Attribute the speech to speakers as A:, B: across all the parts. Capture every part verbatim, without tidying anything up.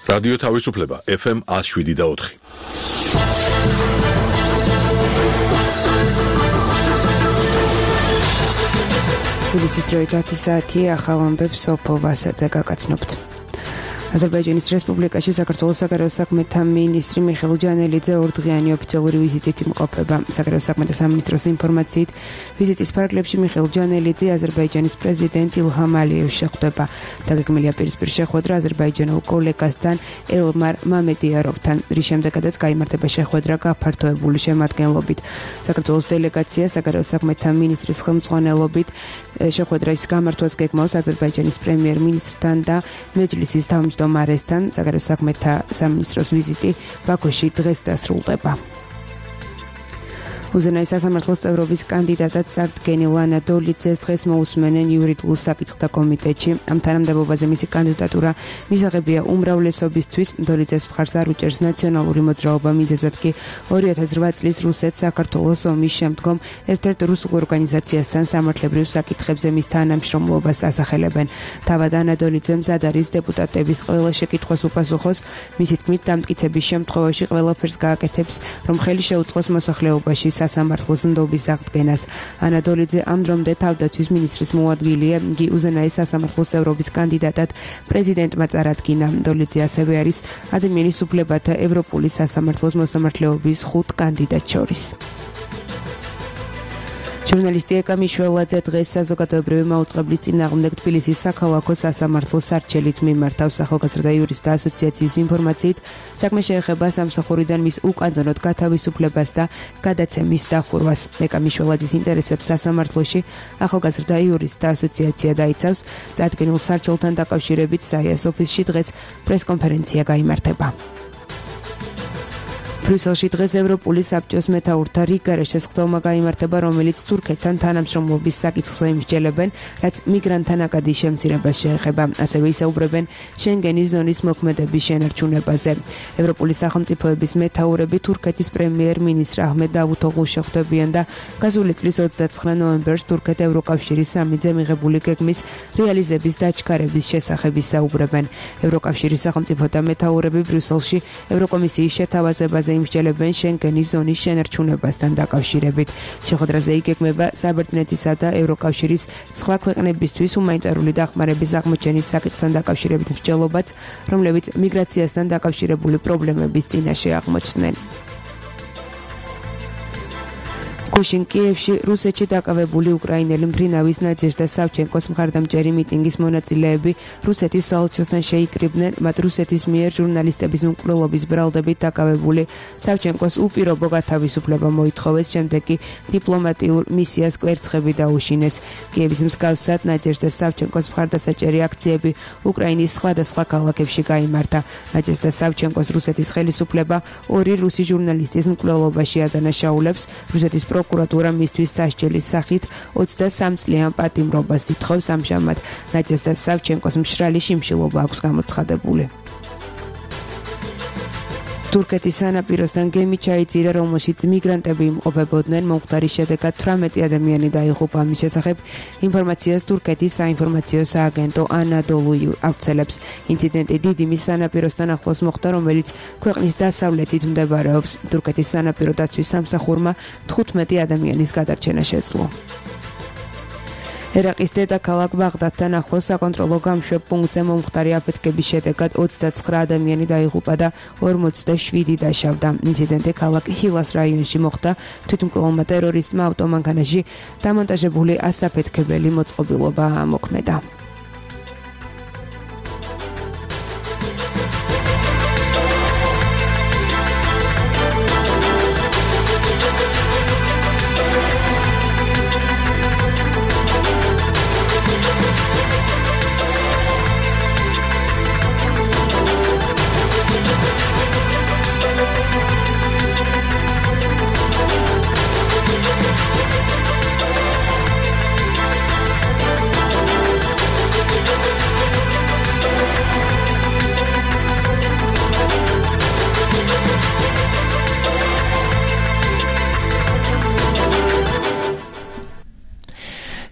A: რადიო თავისუფლება ეფ ემ one oh seven და four.
B: თბილისის დროით ათი საათი ახალ ამბებს სოფო ვასაძე გაგაცნობთ. აზერბაიჯანის რესპუბლიკაში საქართველოს საგარეო საქმეთა მინისტრი მიხეილ ჯანელიძე ორდღიანი ოფიციალური ვიზიტით იმყოფება. საგარეო საქმეთა სამინისტროს ინფორმაციით, ვიზიტის ფარგლებში მიხეილ ჯანელიძე აზერბაიჯანის პრეზიდენტ ილჰამ ალიევს შეხვდება. დაგეგმილია პირისპირ შეხვედრა აზერბაიჯანელ კოლეგასთან ელმარ მამედიაროვთან, რის შემდეგაც გაიმართება შეხვედრა გაფართოებული შემადგენლობით. საქართველოს დელეგაცია საგარეო საქმეთა მინისტრის ხელმძღვანელობით შეხვედრის გამართვას გეგმავს აზერბაიჯანის პრემიერ-მინისტრთან და მეჯლისის თავმჯდომარესთან. საგარეო საქმეთა სამინისტროს ვიზიტი ბაქოში დღეს დასრულდება. უზენაეს სასამართლოს წევრობის კანდიდატად წარდგენილ ანა დოლიძეს დღეს მოусმენენ იურიდიულ საკითხთა კომიტეტში. ამ თანამდებობაზე მისი კანდიდატურა მისაღებია უმრავლესობისთვის. დოლიძეს მხარს არ უჭერს ნაციონალური მოძრაობა, მიზეზად კი ორი ათას რვა წლის რუსეთ-საქართველოს ომის შემდგომ ერთ-ერთ რუსულ ორგანიზაციასთან სამართლებრივ საკითხებზე მის თანამშრომლობას ასახელებენ. თავად ანა დოლიძე მზად არის დეპუტატების ყველა შეკითხვას უპასუხოს. მისი თქმით, დამტკიცების შემთხვევაში ყველაფერს გააკეთებს, რომ ხელი შეუწყოს მოსახლეობაში სასამართლოს ნდობის აღდგენას. ანა დოლიძე ამ დრომდე თავდაცვის მინისტრის მოადგილეა. იგი უზენაეს სასამართლოს წევრობის კანდიდატად პრეზიდენტმა წარადგინა. დოლიძე ასევე არის ადამიანის უფლებათა ევროპული სასამართლოს მოსამართლეობის ხუთ კანდიდატს შორის. ჟურნალისტი ეკა მიშველაძე დღეს საზოგადოებრივი მაუწყებლის წინააღმდეგ თბილისის საქალაქო სასამართლოს სარჩელით მიმართავს. ახალგაზრდა იურისტთა ასოციაციის ინფორმაციით, საქმე შეეხება სამსახურიდან მის უკანონოდ გათავისუფლებას და გადაცემის დახურვას. ეკა მიშველაძის ინტერესებს სასამართლოში ახალგაზრდა იურისტთა ასოციაცია დაიცავს. წარდგენილ სარჩელთან დაკავშირებით საიას ოფისში დღეს პრესკონფერენცია გაიმართება. ბრიუსელში დღეს ევროპული საბჭოს მეთაურთა რიგარა შესხდომა გაიმართება, რომელიც თურქეთთან თანამშრომლობის საკითხზე იმსჯელებენ, რაც მიგრანტთა ნაკადის შემცირებას შეეხება. ასევე ისაუბრებენ შენგენის ზონის მოქმედების შენარჩუნებაზე. ევროპული სახელმწიფოების მეთაურები თურქეთის პრემიერ-მინისტრ აჰმედ დავუთოღლუს შეხვდებიან და გასული წლის ოცდაცხრა ნოემბერს თურქეთ ევროკავშირის სამიტზე მიღებული გეგმის რეალიზების დაჩქარების შესახებ ისაუბრებენ. ევროკავშირის სახელმწიფოთა მეთაურები ბრიუსელში ევროკომისიის შეთავაზებაზე იმსჯელებენ შენგენის ზონის შენარჩუნებასთან დაკავშირებით. შეხვედრაზე იგეგმება საბერძნეთისა და ევროკავშირის სხვა ქვეყნებისთვის ჰუმანიტარული დახმარების აღმოჩენის საკითხთან დაკავშირებით მსჯელობაც, რომლებიც მიგრაციასთან დაკავშირებული პრობლემების წინაშე აღმოჩნდნენ. გუშინ კიევში რუსეთში დაკავებული უკრაინელი მფრინავის ნადეჟდა სავჩენკოს მხარდამჭერი მიტინგის მონაწილეები რუსეთის საელჩოსთან შეიკრიბნენ. მათ რუსეთის მიერ ჟურნალისტების მკვლელობის ბრალდებით დაკავებული სავჩენკოს უპირობო გათავისუფლება მოითხოვეს, შემდეგ კი დიპლომატიურ მისიას კვერცხები დაუშინეს. კიევის მსგავსად ნადეჟდა სავჩენკოს მხარდასაჭერი აქციები უკრაინის სხვადასხვა ქალაქებში გაიმართა. ნადეჟდა სავჩენკოს რუსეთის ხელისუფლება ორი რუსი ჟურნალისტის მკვლელობაში ადანაშაულებს. რუსეთის პროკურატურა მისთვის სასჯელის სახით ოცდასამ წლიან პატიმრობას ითხოვს. ამჟამად ნადეჟდა სავჩენკოს მშრალი შიმშილობა აქვს გამოცხადებული. თურქეთის სანაპიროსთან გემი ჩაიძირა, რომელშიც მიგრანტები იმყოფებოდნენ. მომხდარის შედეგად თვრამეტი ადამიანი დაიღუპა. ამის შესახებ ინფორმაციას თურქეთის საინფორმაციო სააგენტო ანადოლუ ავრცელებს. ინციდენტი დიდიმის სანაპიროსთან ახლოს მოხდა, რომელიც ქვეყნის დასავლეთით მდებარეობს. თურქეთის სანაპირო დაცვის სამსახურმა თხუთმეტი ადამიანის გადარჩენა შეძლო. ერაყის დედაქალაქ ბაღდადთან ახლოს საკონტროლო გამშვებ პუნქტზე მომხდარი აფეთქების შედეგად ოცდაცხრა ადამიანი დაიღუპა და ორმოცდაშვიდი დაშავდა. ინციდენტი ქალაქ ჰილას რაიონში მოხდა. თვითმკვლელმა ტერორისტმა ავტომანქანაში დამონტაჟებული ასაფეთქებელი მოწყობილობა ამოქმედა.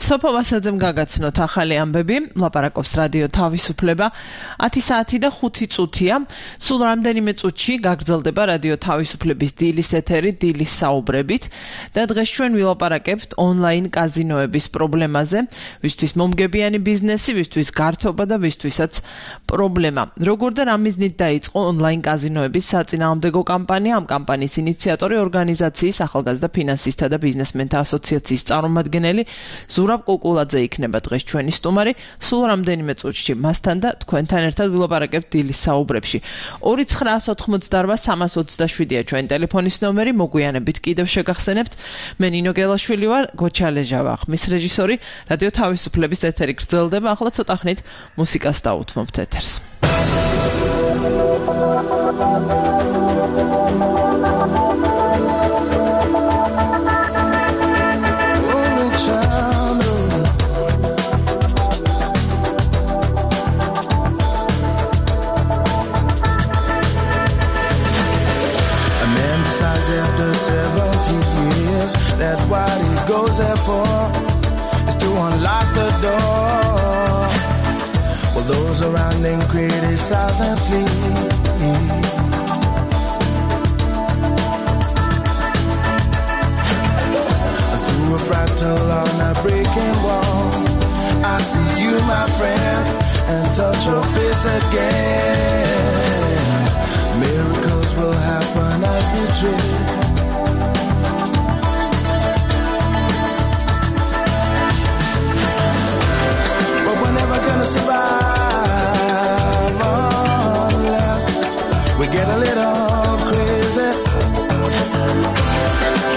C: სოფო ვასაძემ გაგაცნოთ ახალი ამბები, ლაპარაკობს რადიო თავისუფლება. ათი საათი და ხუთი წუთია. სულ რამდენიმე წუთში გაგრძელდება რადიო თავისუფლების დილის ეთერი დილის საუბრებით და დღეს ჩვენ ვილაპარაკებთ ონლაინ კაზინოების პრობლემაზე, ვისთვის მომგებიანი ბიზნესი, ვისთვის გართობა და ვისთვისაც პრობლემა. როგორ და რა მიზნით დაიწყო ონლაინ კაზინოების საწინააღმდეგო კამპანია? ამ კამპანიის ინიციატორი ორგანიზაციის ახალგაზრდა ფინანსისტთა და ბიზნესმენთა ასოციაციის წარმომადგენელი ზურაბ კუკულაძე იქნება დღეს ჩვენი სტუმარი. სულ რამდენიმე წუთში მასთან და თქვენთან ერთად ვილაპარაკებთ დილის საუბრებში. ორი ცხრაას ოთხმოცდაორბა სამას ოცდაშვიდია ჩვენი ტელეფონის ნომერი. მოგვიანებით კიდევ შეგახსენებთ. მე ნინო გელაშვილი ვარ, გოჩალეჟა ვარ. მის რეჟისორი რადიო თავისუფლების ეთერი გრძელდება. ახლა ცოტა ხნით მუსიკას დაუთმობთ ეთერს.
D: That's what he goes there for, is to unlock the door. Well, those around him criticize and sleep. Through a fractal on a breaking wall, I see you, my friend, and touch your face again. Miracles will happen as we dream. Gonna survive unless we get a little crazy.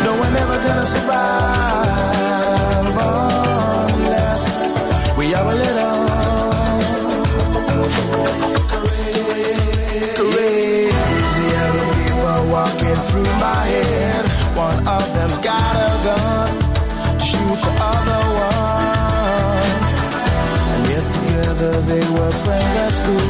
D: No, we're never gonna survive unless we are a little crazy. Other people walking through my head. One of them's got a gun to shoot the other one. They were friends at school.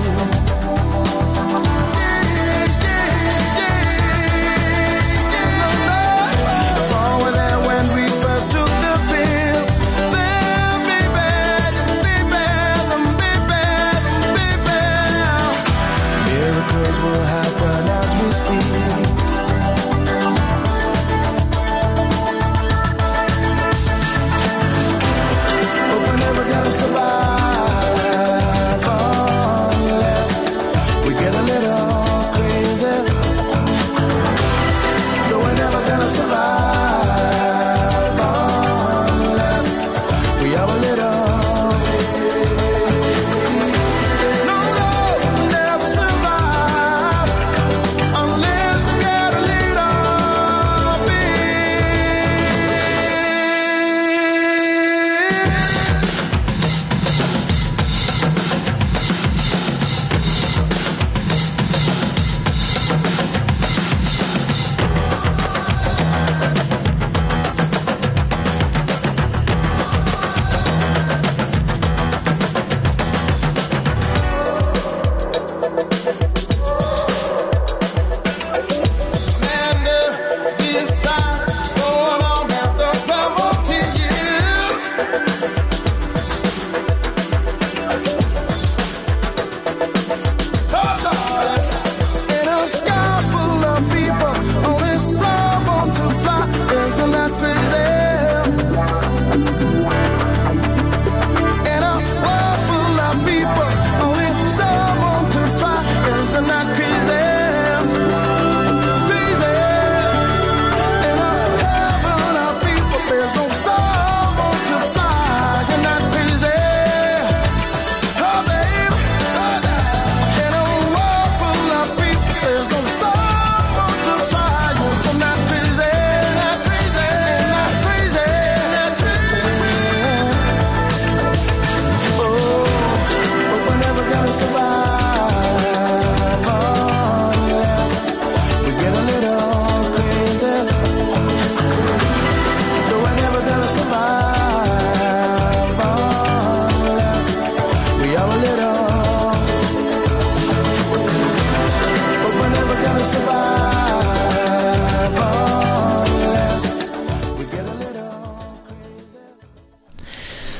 D: Forward there when we first took the pill. Then be bad, be bad, be bad, be bad. Miracles will happen as we speak. But we're never gonna survive.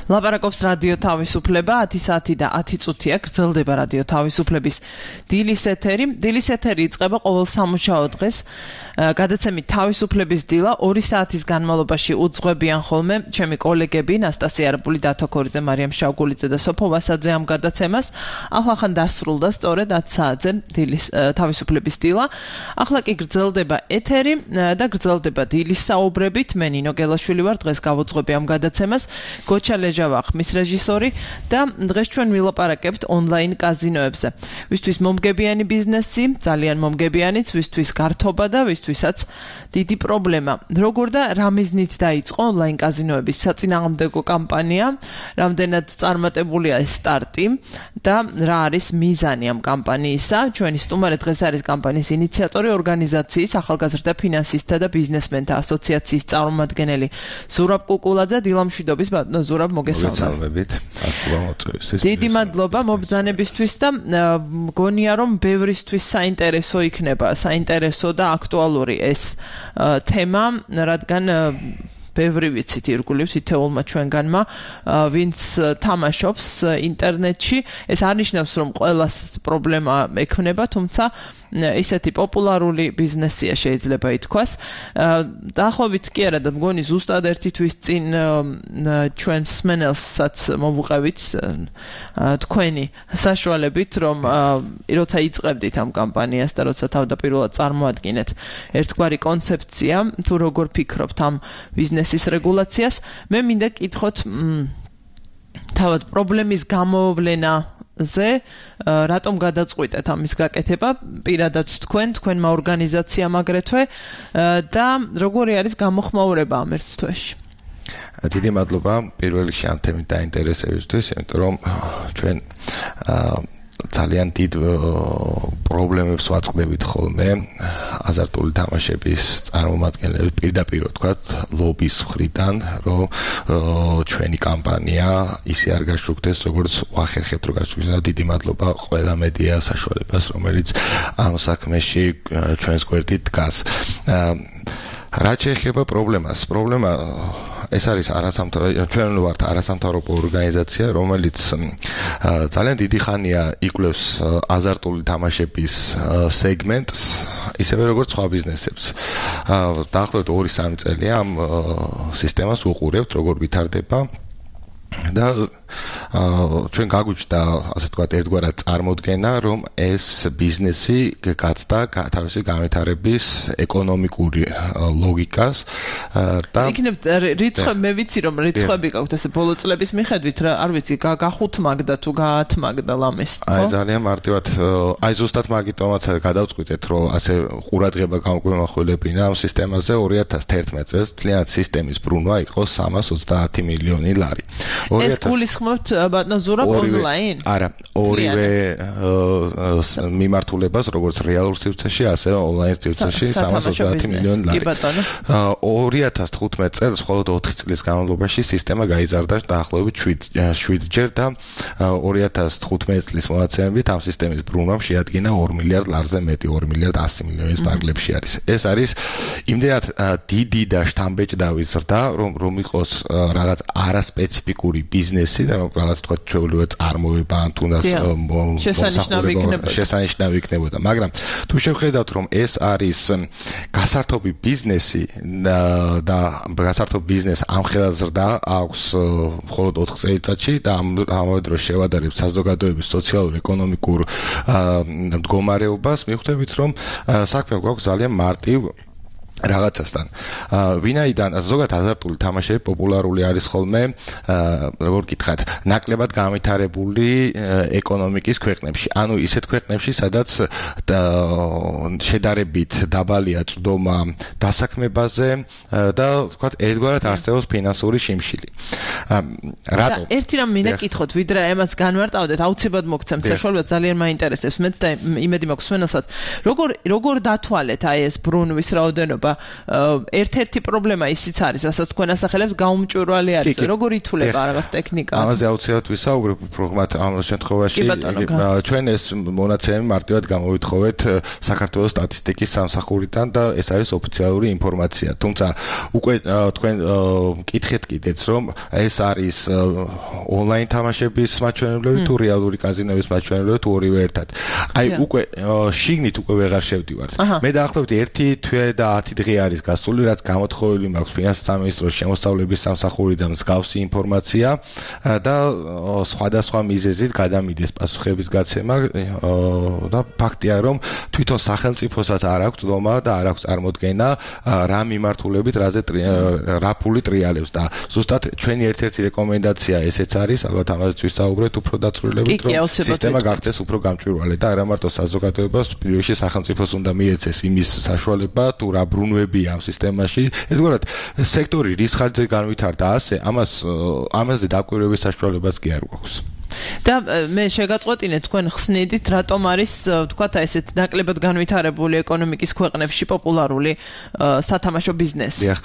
C: ლაპარაკობს რადიო თავისუფლება ათი საათი და ათი წუთია გრძელდება რადიო თავისუფლების დილის ეთერი. დილის ეთერი იწყება ყოველ სამუშაო დღეს გადაცემით თავისუფლების დილა ორი საათის განმავლობაში უძღვებიან ხოლმე ჩემი კოლეგები ნასტასია არაბული, დათო ქორიძე, მარიამ შავგულიძე და სოფო ვასაძე ამ გადაცემას. ახლა დასრულდა სწორედ ათი საათზე დილის თავისუფლების დილა. ახლა კი გრძელდება ეთერი და გრძელდება დილის საუბრებით. მე ნინო გელაშვილი ვარ, დღეს გავუძღვები ამ გადაცემას. გოჩა ლეჟავა ხმის რეჟისორი და დღეს ჩვენ ვილაპარაკებთ ონლაინ კაზინოებზე. ვისთვის მომგებიანი ბიზნესი, ძალიან მომგებიანიც, ვისთვის გართობა და ვისთვისაც დიდი პრობლემა. როგორ და რა მიზნით დაიწყო ონლაინ კაზინოების საწინააღმდეგო კამპანია, რამდენად წარმატებულია ეს სტარტი და რა არის მიზანი ამ კამპანიისა? ჩვენი სტუმარი დღეს არის კამპანიის ინიციატორი, ორგანიზაციის ახალგაზრდა ფინანსისტთა და ბიზნესმენთა ასოციაციის წარმომადგენელი ზურაბ კუკულაძე. დილამშვიდობის ბატონო ზურაბ, მოგესალმებით. დიდი მადლობა მობრძანებისთვის და მგონია რომ ბევრისთვის საინტერესო იქნება, საინტერესო და აქტუალური ეს თემა, რადგან ბევრი ვიცით ირგვლივ თითოეულმა ჩვენგანმა, ვინც თამაშობს ინტერნეტში. ეს არ ნიშნავს რომ ყველას პრობლემა ექმნება, თუმცა ისეთი პოპულარული ბიზნესია შეიძლება ითქვას. დაახლოებით კი არა და მგონი ზუსტად ერთი თვის წინ ჩვენ მსმენელსაც მომუყევით თქვენი საშუალებით, რომ როცა იწყებდით ამ კამპანიას და როცა თავდაპირველად წარმოადგენთ ერთგვარი კონცეფცია, თუ როგორ ფიქრობთ ამ ბიზნესის რეგულაციას, მე მინდა კითხოთ თავად პრობლემის გამოვლენა ზე რატომ გადაწყვიტეთ ამის გაკეთება პირადად თქვენ, თქვენმა ორგანიზაციამ აგრეთვე და როგორი არის გამოხმაურება ამ ერთ თვეში?
E: დიდი მადლობა პირველ რიგში ამ თემით დაინტერესებისთვის, იმიტომ რომ ჩვენ ძალიან დიდ პრობლემებს ვაწყდებით ხოლმე აზარტული თამაშების წარმომადგენლები, პირდაპირ ვთქვათ, ლობის მხრიდან, რომ ჩვენი კამპანია ისე არ გაშუქდეს, როგორც ვახერხებთ რომ გაშუქდეს. დიდი მადლობა ყველა მედია საშუალებას, რომელიც ამ საქმეში ჩვენს გვერდით დგას. რაც შეეხება პრობლემას, პრობლემა ეს არის არასამთავრობო, ჩვენ ვართ არასამთავრობო ორგანიზაცია, რომელიც ძალიან დიდი ხანია იკვლევს აზარტული თამაშების სეგმენტს, ისევე როგორც სხვა ბიზნესებს. დაახლოებით ორი სამი წელია ამ სისტემას უყურებთ, როგორ ვითარდება და ჩვენ გაგვიჩნდა, ასე ვთქვათ, ერთგვარად წარმოდგენა, რომ ეს ბიზნესი გაცდა თავისი განვითარების ეკონომიკური ლოგიკას და
C: იქნებ რიცხვები, მე ვიცი რომ რიცხვები გაქვთ ესე ბოლო წლების მიხედვით, არ ვიცი, გახუთმაგდა თუ გაათმაგდა ლამეს, ხო?
E: აი ძალიან მარტივად, აი ზუსტად მაგიტომაც გადავწყვიტეთ, რომ ასე ყურადღება გამგვემახვილებინა ამ სისტემაზე ორი ათას თერთმეტ წელს მთლიანად სისტემის ბრუნვა იყო სამას ოცდაათი მილიონი ლარი.
C: ეს გულისხმობთ ბატონო ზურაბ ონლაინ?
E: არა, ორივე მიმართულებას, როგორც რეალურ სივრცეში, ასევე ონლაინ სივრცეში სამას ოცდაათი მილიონი ლარი. ორი ათას თხუთმეტ წელს მხოლოდ ოთხი წლის განმავლობაში სისტემა გაიზარდა დაახლოებით შვიდ ჯერ და ორი ათას თხუთმეტ წლის მონაცემებით ამ სისტემის ბრუნვამ შეადგინა ორი მილიარდ ლარზე მეტი, ორი მილიარდ ასი მილიონის პარკლებში არის. ეს არის იმდენად დიდი და შთამბეჭდავი ზრდა, რომ რომ იყოს რაღაც არასპეციფიკური ბიზნესი და რაღაც თქვა ჩვეულებრივი წარმოება ან თუნდაც შესანიშნავი იქნებოდა, მაგრამ თუ შევხედავთ რომ ეს არის გასართობი ბიზნესი და გასართობ ბიზნეს ამხელად ზრდა აქვს მხოლოდ ოთხ წელიწადში და ამავე დროს შევადარებთ საზოგადოების სოციალურ-ეკონომიკურ მდგომარეობას, მიხვდებით რომ საქმე გვაქვს ძალიან მარტივ რაღაცასთან. ვინაიდან ზოგადად აზარტული თამაშები პოპულარული არის ხოლმე, როგორ გითხრათ, ნაკლებად განვითარებული ეკონომიკის ქვეყნებში. ანუ ისეთ ქვეყნებში, სადაც შედარებით დაბალია წვდომა დასაქმებაზე და ვთქვათ, ერთგვარად არსებობს ფინანსური შიმშილი. რატო?
C: ერთი რამ მინდა კითხოთ, ვიდრე ამას განმარტავდეთ, აუცილებლად მოგცემთ საშუალებას, ძალიან მაინტერესებს. მეც და იმედი მაქვს მსმენელსაც, როგორ როგორ დათვალეთ აი ეს ბრუნვის რაოდენობა? მდგომარეობა. ერთ-ერთი პრობლემა ისიც არის, რასაც თქვენ ასახელებთ, გაუმჭვირვალე არის. როგორ ითვლება რაღაც ტექნიკა?
E: ამაზე აუცილებლად ვისაუბრებ, უბრალოდ ამ შემთხვევაში ჩვენ ეს მონაცემები მარტივად გამოვითხოვეთ საქართველოს სტატისტიკის სამსახურიდან და ეს არის ოფიციალური ინფორმაცია. თუმცა უკვე თქვენ კითხეთ კიდეც, რომ ეს არის ონლაინ თამაშების მაჩვენებლები თუ რეალური კაზინოების მაჩვენებლები თუ ორივე ერთად. აი უკვე შიგნით უკვე ვეღარ შევდივართ. მე დაახლოებით ერთი თვე და ათი დღე არის გასული, რაც გამოთხოვილი მაქვს ფინანსთა სამინისტროს შემოსავლების სამსახურიდან მსგავსი ინფორმაცია და სხვადასხვა მიზეზით გადამიდეს პასუხების გაცემა და ფაქტია, რომ თვითონ სახელმწიფოსაც არ აქვს ცდომა და არ აქვს წარმოდგენა რა მიმართულებით რაზე რა ფული ტრიალებს და ზუსტად ჩვენი ერთ-ერთი რეკომენდაცია ესეც არის, ალბათ ამაზეც ვისაუბრეთ უფრო დაწვრილებით, რომ სისტემა გახდეს უფრო გამჭვირვალე და არა მარტო საზოგადოებას, პირველში სახელმწიფოს უნდა მიეცეს იმის საშუალება თუ რა ბრუნვებია ამ სისტემაში. ერთგვარად სექტორი რის ხარჯზე განვითარდა ასე, ამას ამაზე დაკვირვების საშუალებაც კი არ გვაქვს.
C: და მე შეგაწყვეტინე თქვენ ხსნიდით, რატომ არის თქვათ აი ესეთ ნაკლებად განვითარებული ეკონომიკის ქვეყნებში პოპულარული სათამაშო ბიზნესი?
E: დიახ.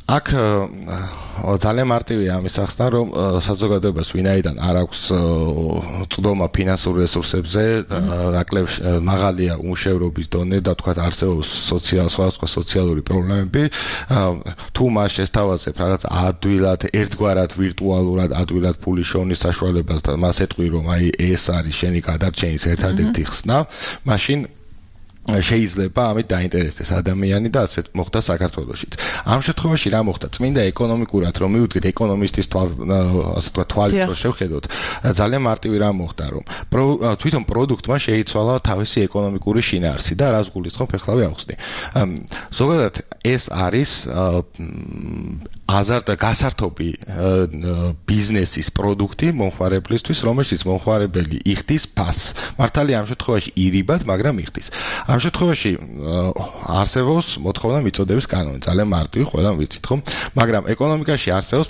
E: აქ ძალიან მარტივია ამის ახსნა, რომ საზოგადოებას ვინაიდან არ აქვს წვდომა ფინანსურ რესურსებზე, ნაკლებ მაღალია უმუშევრობის დონე და თქვათ არსებობს სოციალ სხვადასხვა სოციალური პრობლემები, თუ მას შესთავაზებ რაღაც ადვილად, ერთგვარად ვირტუალურად ადვილად ფული შოვნის საშუალებას და მას ეტყვი, რომ აი ეს არის შენი გადარჩენის ერთადერთი ხსნა, მაშინ შეიძლება ამით დაინტერესდეს ადამიანი და ასეთ მოხდა საქართველოშიც. ამ შემთხვევაში რა მოხდა? წმინდა ეკონომიკურად რომ მივუდგეთ ეკონომისტის ასე თქვა თვალით რომ შევხედოთ, ძალიან მარტივი რა მოხდა, რომ თვითონ პროდუქტმა შეიცვალა თავისი ეკონომიკური შინაარსი და რას გულისხმობ ეხლავე ავხსნი. ზოგადად ეს არის აზარტ გასართობი ბიზნესის პროდუქტი მომხმარებლისთვის, რომელშიც მომხმარებელი იხდის ფასს. მართალია ამ შემთხვევაში ირიბად, მაგრამ იხდის. ამ შემთხვევაში არსებობს მოთხოვნა მიწოდების კანონი, ძალიან მარტივი, ყველამ ვიცით, ხო? მაგრამ ეკონომიკაში არსებობს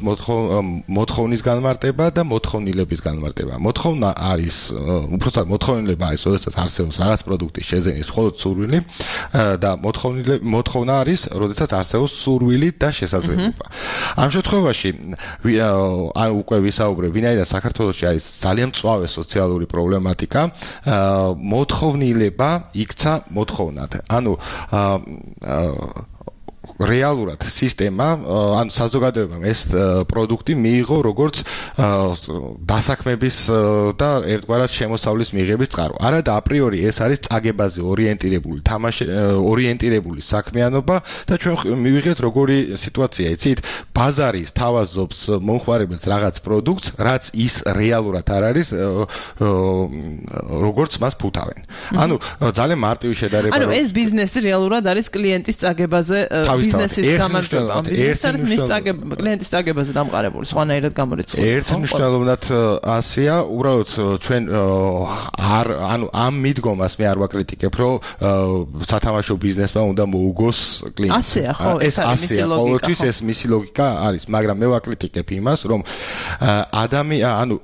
E: მოთხოვნის განმარტება და მოთხოვნილების განმარტება. მოთხოვნა არის, უბრალოდ მოთხოვნილება არის, როდესაც არსებობს რაღაც პროდუქტის შეძენის მხოლოდ სურვილი და მოთხოვნა არის, როდესაც არსებობს სურვილი და შესაძლებლობა. ამ შემთხვევაში ან უკვე ვისაუბრებ, ვინაიდან საქართველოში არის ძალიან მწვავე სოციალური პრობლემატიკა, მოთხოვნილება იქცა მოთხოვნად. ანუ რეალურად სისტემა, ანუ საზოგადოებამ ეს პროდუქტი მიიღო როგორც დასაქმების და ერთგვარად შემოსავლის მიღების წყარო. არა და აპრიორი ეს არის წაგებაზე ორიენტირებული, თამაში ორიენტირებული საქმიანობა და ჩვენ მივიღეთ როგორი სიტუაცია, იცით? ბაზარი სთავაზობს მომხმარებელს რაღაც პროდუქტს, რაც ის რეალურად არ არის, როგორც მას ფუთავენ. ანუ ძალიან მარტივი შედარება.
C: ანუ ეს ბიზნესი რეალურად არის კლიენტის წაგებაზე ბიზნესის გამარჯვება. ბიზნესი არის მის წაგებაზე, კლიენტის წაგებაზე დამყარებული, სხვანაირად გამორიცხული.
E: ერთ მნიშვნელოვნად ასეა, უბრალოდ ჩვენ არ ანუ ამ მიდგომას მე არ ვაკრიტიკებ, რომ სათამაშო ბიზნესმა უნდა მოუგოს კლიენტს.
C: ასეა, ხო,
E: ეს ასეა, ყოველთვის ეს მისი ლოგიკა არის, მაგრამ მე ვაკრიტიკებ იმას, რომ ადამიანი, ანუ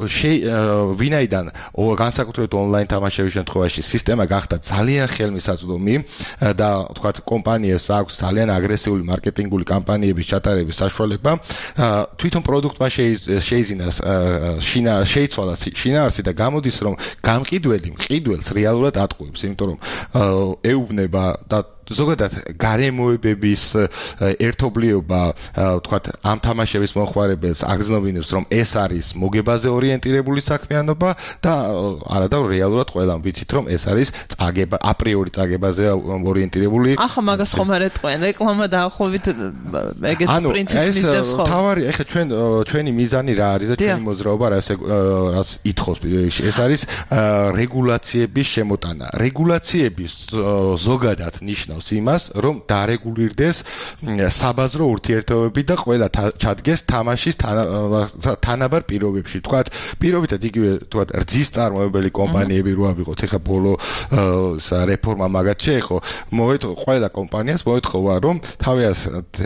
E: ვინაიდან განსაკუთრებით ონლაინ თამაშების შემთხვევაში სისტემა გახდა ძალიან ხელმისაწვდომი და თქვათ კომპანიებს აქვს ძალიან აგრესიული მარკეტინგული კამპანიების ჩატარების საშუალება, თვითონ პროდუქტმა შეიძინა შეიცვალა შინაარსი და გამოდის, რომ გამყიდველი მყიდველს რეალურად ატყუებს, იმიტომ რომ ეუბნება და ზოგადად გარემოებების ერთობლიობა, ვთქვათ, ამ თამაშების მომხმარებელს აგრძნობინებს, რომ ეს არის მოგებაზე ორიენტირებული საქმიანობა და არადა რეალურად ყველამ ვიცით, რომ ეს არის წაგება, აპრიორი წაგებაზე ორიენტირებული.
C: ახლა მაგას ხომ არ ეტყვიან, რეკლამა დაახლოებით ეგეთ პრინციპს მისდევს ხო?
E: თავარი, ეხლა ჩვენ ჩვენი მიზანი რა არის და ჩვენი მოძრაობა რას რას ითხოვს, ეს არის რეგულაციების შემოტანა. რეგულაციების ზოგადად ნიშნავს იმას, რომ დარეგულირდეს საბაზრო ურთიერთობები და ყველა ჩადგეს თამაშის თანაბარ პირობებში. თქვათ, პირობითად იგივე თქვათ, რძის წარმოებელი კომპანიები რო ავიღოთ, ეხა ბოლო რეფორმა მაგათ შეეხო, მოეთხოვა ყველა კომპანიას მოეთხოვა, რომ თავის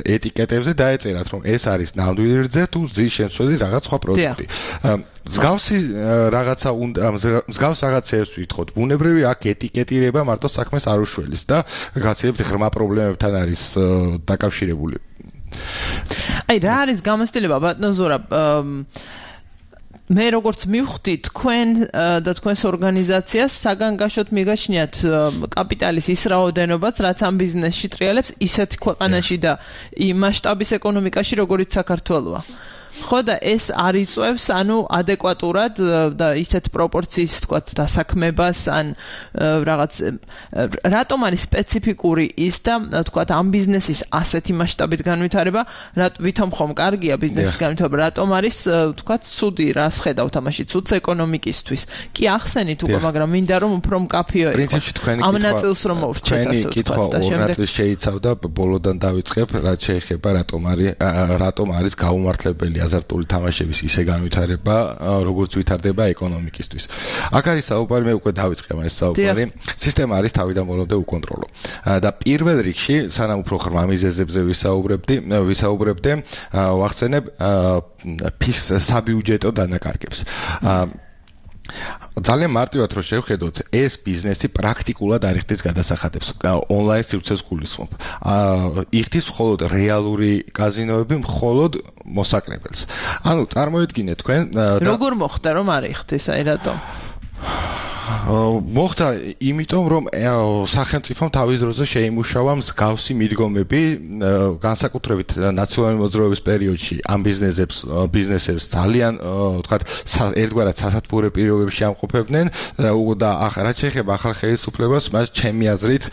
E: ეტიკეტებზე დაეწერათ, რომ ეს არის ნამდვილი რძე თუ რძის შემცველი რაღაც სხვა პროდუქტი. მსგავსი რაღაცა უნდა მსგავს რაღაცებს ვითხოვთ. ბუნებრივი აქ ეტიკეტირება მარტო საქმეს არ უშველის და გაცილებით ღრმა პრობლემებთან არის დაკავშირებული.
C: აი რა არის გამოცდილება ბატონო ზურაბ მე როგორც მივხვდი თქვენ და თქვენს ორგანიზაციას საგანგაშოდ მიგაჩნიათ კაპიტალის ის რაოდენობაც რაც ამ ბიზნესში ტრიალებს ისეთ ქვეყანაში და იმ მასშტაბის ეკონომიკაში როგორიც საქართველოა. ხო და ეს არ იწევს ანუ ადეკვატურად და ისეთ პროპორციის თქვა დასაქმებას ან რაღაც რატომ არის სპეციფიკური ის და თქვა ამ ბიზნესის ასეთი მასშტაბით განვითარება ვითომ ხომ კარგია ბიზნესის განვითარება რატომ არის თქვა ცუდი რას ხედავთ ამაში ცუდს ეკონომიკისთვის კი ახსენით უკვე მაგრამ მინდა რომ უფრო მკაფიო
E: პრინციპში თქვენი
C: ამ ნაწილს რომ მოვრჩეთ ასე
E: თქვა და შემდეგ ნაწილს შეიცავდა ბოლოდან დავიწყებ რაც შეეხება რატომ არის რატომ არის გაუმართლებელი აზარტული თამაშების ისე განვითარება, როგორც ვითარდება ეკონომიკისთვის. აქ არის საუბარი, მე უკვე დავიწყე ეს საუბარი. სისტემა არის თავიდან ბოლომდე უკონტროლო. და პირველ რიგში, სანამ უფრო ღრმა მიზეზებზე ვისაუბრებდი, ვისაუბრებდე, ვახსენებ ფის საბიუჯეტო დანაკარგებს. ძალიან მარტივად რო შევხედოთ, ეს ბიზნესი პრაქტიკულად არ იხდის გადასახადებს. ონლაინ სივრცეს გულისხმობ. იხდის მხოლოდ რეალური კაზინოები, მხოლოდ მოსაკრებელს. ანუ წარმოიდგინეთ თქვენ
C: როგორ მოხდა რომ არ იხდის, აი რატომ?
E: მოხდა იმიტომ რომ სახელმწიფომ თავის დროზე შეიმუშავა მსგავსი მიდგომები განსაკუთრებით ნაციონალური მოძრაობის პერიოდში ამ ბიზნესებს ბიზნესებს ძალიან ვთქვათ ერთგვარად სასათბურე პირობებში ამყოფებდნენ და რაც შეეხება ახალ ხელისუფლებას მას ჩემი აზრით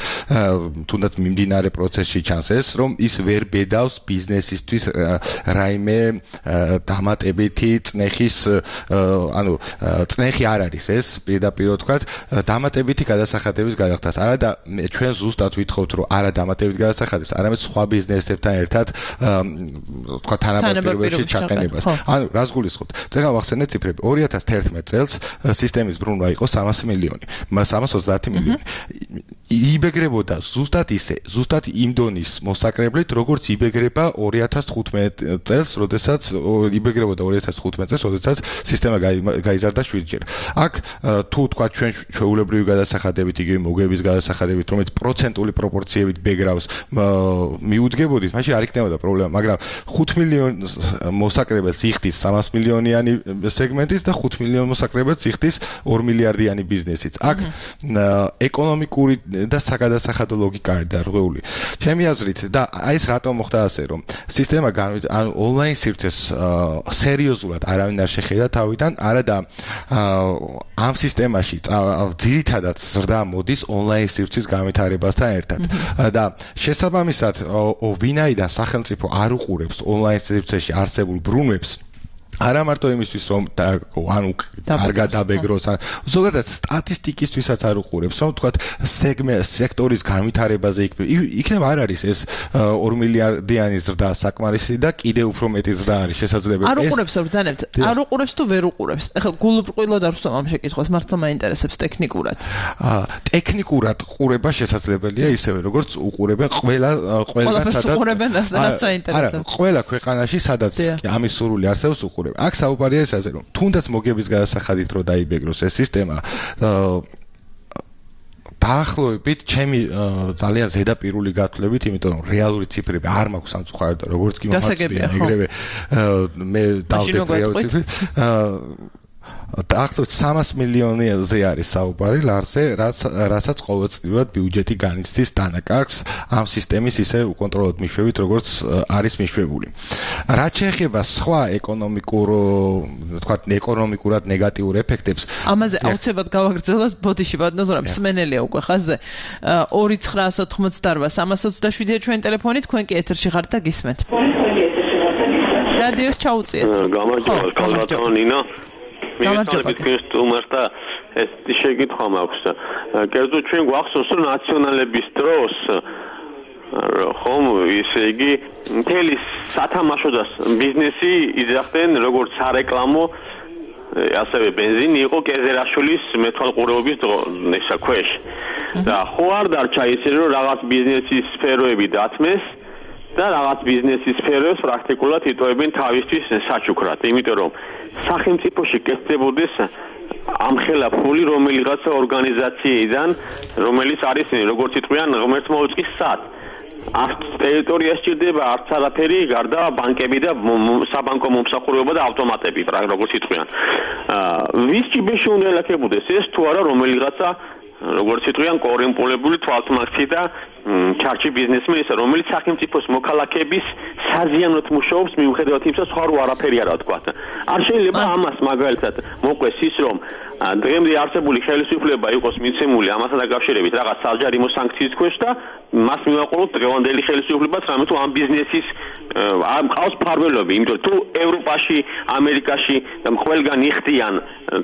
E: თუნდაც მიმდინარე პროცესში ჩანს ეს რომ ის ვერ ბედავს ბიზნესისთვის რაიმე დამატებითი წნეხის ანუ წნეხი არ არის ეს პირდაპირ ვთქვათ დამატებითი გადასახადების გადახდას. არა და ჩვენ ზუსტად ვითხოვთ რომ არა დამატებითი გადასახადებს, არამედ სხვა ბიზნესებთან ერთად ვთქვათ თანაბარ-პირობებში ჩაყენებას. ანუ რას გულისხმობთ? წეგან ვახსენეთ ციფრები. ორი ათას თერთმეტ წელს სისტემის ბრუნვა იყო სამასი მილიონი, სამას ოცდაათი მილიონი. იბეგრებოდა ზუსტად ისე, ზუსტად იმ დონის მოსაკრებლით, როგორც იბეგრება ორი ათას თხუთმეტ წელს, როდესაც იბეგრებოდა ორი ათას თხუთმეტ წელს, როდესაც სისტემა გაიზარდა შვიდჯერ. აქ თუ თქვა ჩვენ ჩვეულებრივი გადასახადებით, იგივე მოგების გადასახადებით, რომელიც პროცენტული პროპორციებით ბეგრავს მიუდგებოდით, მაშინ არ იქნებოდა პრობლემა, მაგრამ ხუთ მილიონს მოსაკრებელს იხდის სამას მილიონიანი სეგმენტის და ხუთ მილიონ მოსაკრებელს იხდის ორ მილიარდიანი ბიზნესიც. აქ ეკონომიკური და საგადასახადო ლოგიკა არის დარღვეული. ჩემი აზრით და აი ეს რატომ მოხდა ასე, რომ სისტემა ანუ ონლაინ სივრცეს სერიოზულად არავინ არ შეხედა თავიდან, არა და ამ სისტემაში ძირითადად ზრდა მოდის ონლაინ სივრცის განვითარებასთან ერთად და შესაბამისად ვინაიდან სახელმწიფო არ უყურებს ონლაინ სივრცეში არსებულ ბრუნვებს არა მარტო იმისთვის რომ ანუ კარგად დაბეგროს ან ზოგადად სტატისტიკისთვისაც არ უყურებს რომ თქვათ სექტორის განვითარებაზე იქნება არ არის ეს ორ მილიარდიანი ზრდა საკმარისი და კიდე უფრო მეტი ზრდა არის შესაძლებელი
C: არ უყურებს ბრძანებთ არ უყურებს თუ ვერ უყურებს ეხლა გულუბრყვილოდ არ ვსვამ ამ შეკითხვას მართლა მაინტერესებს ტექნიკურად
E: ტექნიკურად ყურება შესაძლებელია ისევე როგორც უყურებენ ყველა ყველა სადაც არა ყველა ქვეყანაში სადაც ამის სურვილი არსებობს უყურებს აქ საუბარია ესაზე რომ თუნდაც მოგების გადასახადით რო დაიბეგროს ეს სისტემა დაახლოებით ჩემი ძალიან ზედაპირული გათვლებით იმიტომ რომ რეალური ციფრები არ მაქვს სამწუხაროდ როგორც კი მომაწყია ეგრევე მე დავდებ რეალური ციფრით დაახლოებით სამას მილიონზე არის საუბარი ლარზე, რაც რასაც ყოველწლიურად ბიუჯეტი განიცდის დანაკარგს ამ სისტემის ისე უკონტროლოდ მიშვებით, როგორც არის მიშვებული. რაც შეეხება სხვა ეკონომიკურ, თქვათ, ეკონომიკურად ნეგატიურ ეფექტებს,
C: ამაზე აუცილებლად გავაგრძელოთ ბოდიში ბატონო, მსმენელია უკვე ხაზზე. ორი ცხრაას ოთხმოცდაორბა სამას ოცდაშვიდია ჩვენი ტელეფონი, თქვენ კი ეთერში ხართ და გისმენთ. რადიოს ჩაუწიეთ.
F: გამარჯობა, კალბატონო ნინა.
C: გამარჯობა.
F: თუმცა ეს შეკითხვა მაქვს. კერძო ჩვენ გვახსოვს რომ ნაციონალების დროს ხომ ისე იგი მთელი სათამაშო და ბიზნესი იძახდნენ როგორც სარეკლამო ასევე бенზინი იყო კეზერაშვილის მეთვალყურეობის ესა ქვეშ. და ხო არ დარჩა ისე რომ რაღაც ბიზნესის სფეროები დათმეს და რაღაც ბიზნესის სფეროს პრაქტიკულად იტოვებენ თავისთვის საჩუქრად, იმიტომ რომ სახელმწიფოში კეთდებოდეს ამხელა ფული რომელიღაცა ორგანიზაციიდან, რომელიც არის როგორც იტყვიან ღმერთ მოუწყის სად. Arts ტერიტორია სჭირდება არც არაფერი გარდა ბანკები და საბანკო მომსახურება და ავტომატები, როგორც იტყვიან. ვის ჭიბეში უნდა ელაქებოდეს ეს თუ არა რომელიღაცა როგორც იტყვიან კორუმპირებული თვალთმაქცი და ჩარჩი ბიზნესმენი, რომელიც სახელმწიფოს მოქალაქეების საზიანოდ მუშაობს მიუხედავად იმისა, სხვა რო არაფერი არა თქვა. არ შეიძლება ამას მაგალითად მოყვეს ის რომ დღემდე არსებული ხელისუფლება იყოს მიცემული ამასთან დაკავშირებით რაღაც საჯარიმო სანქციის ქვეშ და მას მივაყოლოთ დღევანდელი ხელისუფლებას, რამე თუ ამ ბიზნესის არ მყავს ფარველობი, იმიტომ თუ ევროპაში, ამერიკაში და ყველგან იხდიან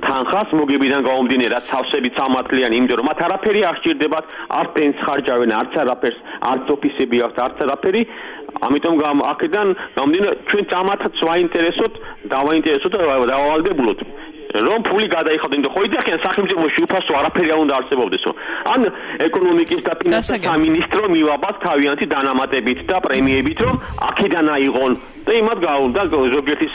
F: თანხას მოგებიდან გამომდინე რაც სავსებით სამართლიანი, იმიტომ რომ მათ არაფერი არ სჭირდებათ, არც პენს ხარჯავენ, არც არაფერს, არც ოფისები აქვს, არც არაფერი. ამიტომ აქედან გამომდინე ჩვენ ამათაც ვაინტერესოთ, დავაინტერესოთ და დავალდებულოთ. რომ ფული გადაიხადონ და ხო იდახიან სახელმწიფოში უფასო არაფერი არ უნდა არსებობდესო. ან ეკონომიკის და ფინანსების სამინისტრო მივაბათ თავიანთი დანამატებით და პრემიებით რომ აქედან აიღონ და იმათ გაუნდა ზოგიერთი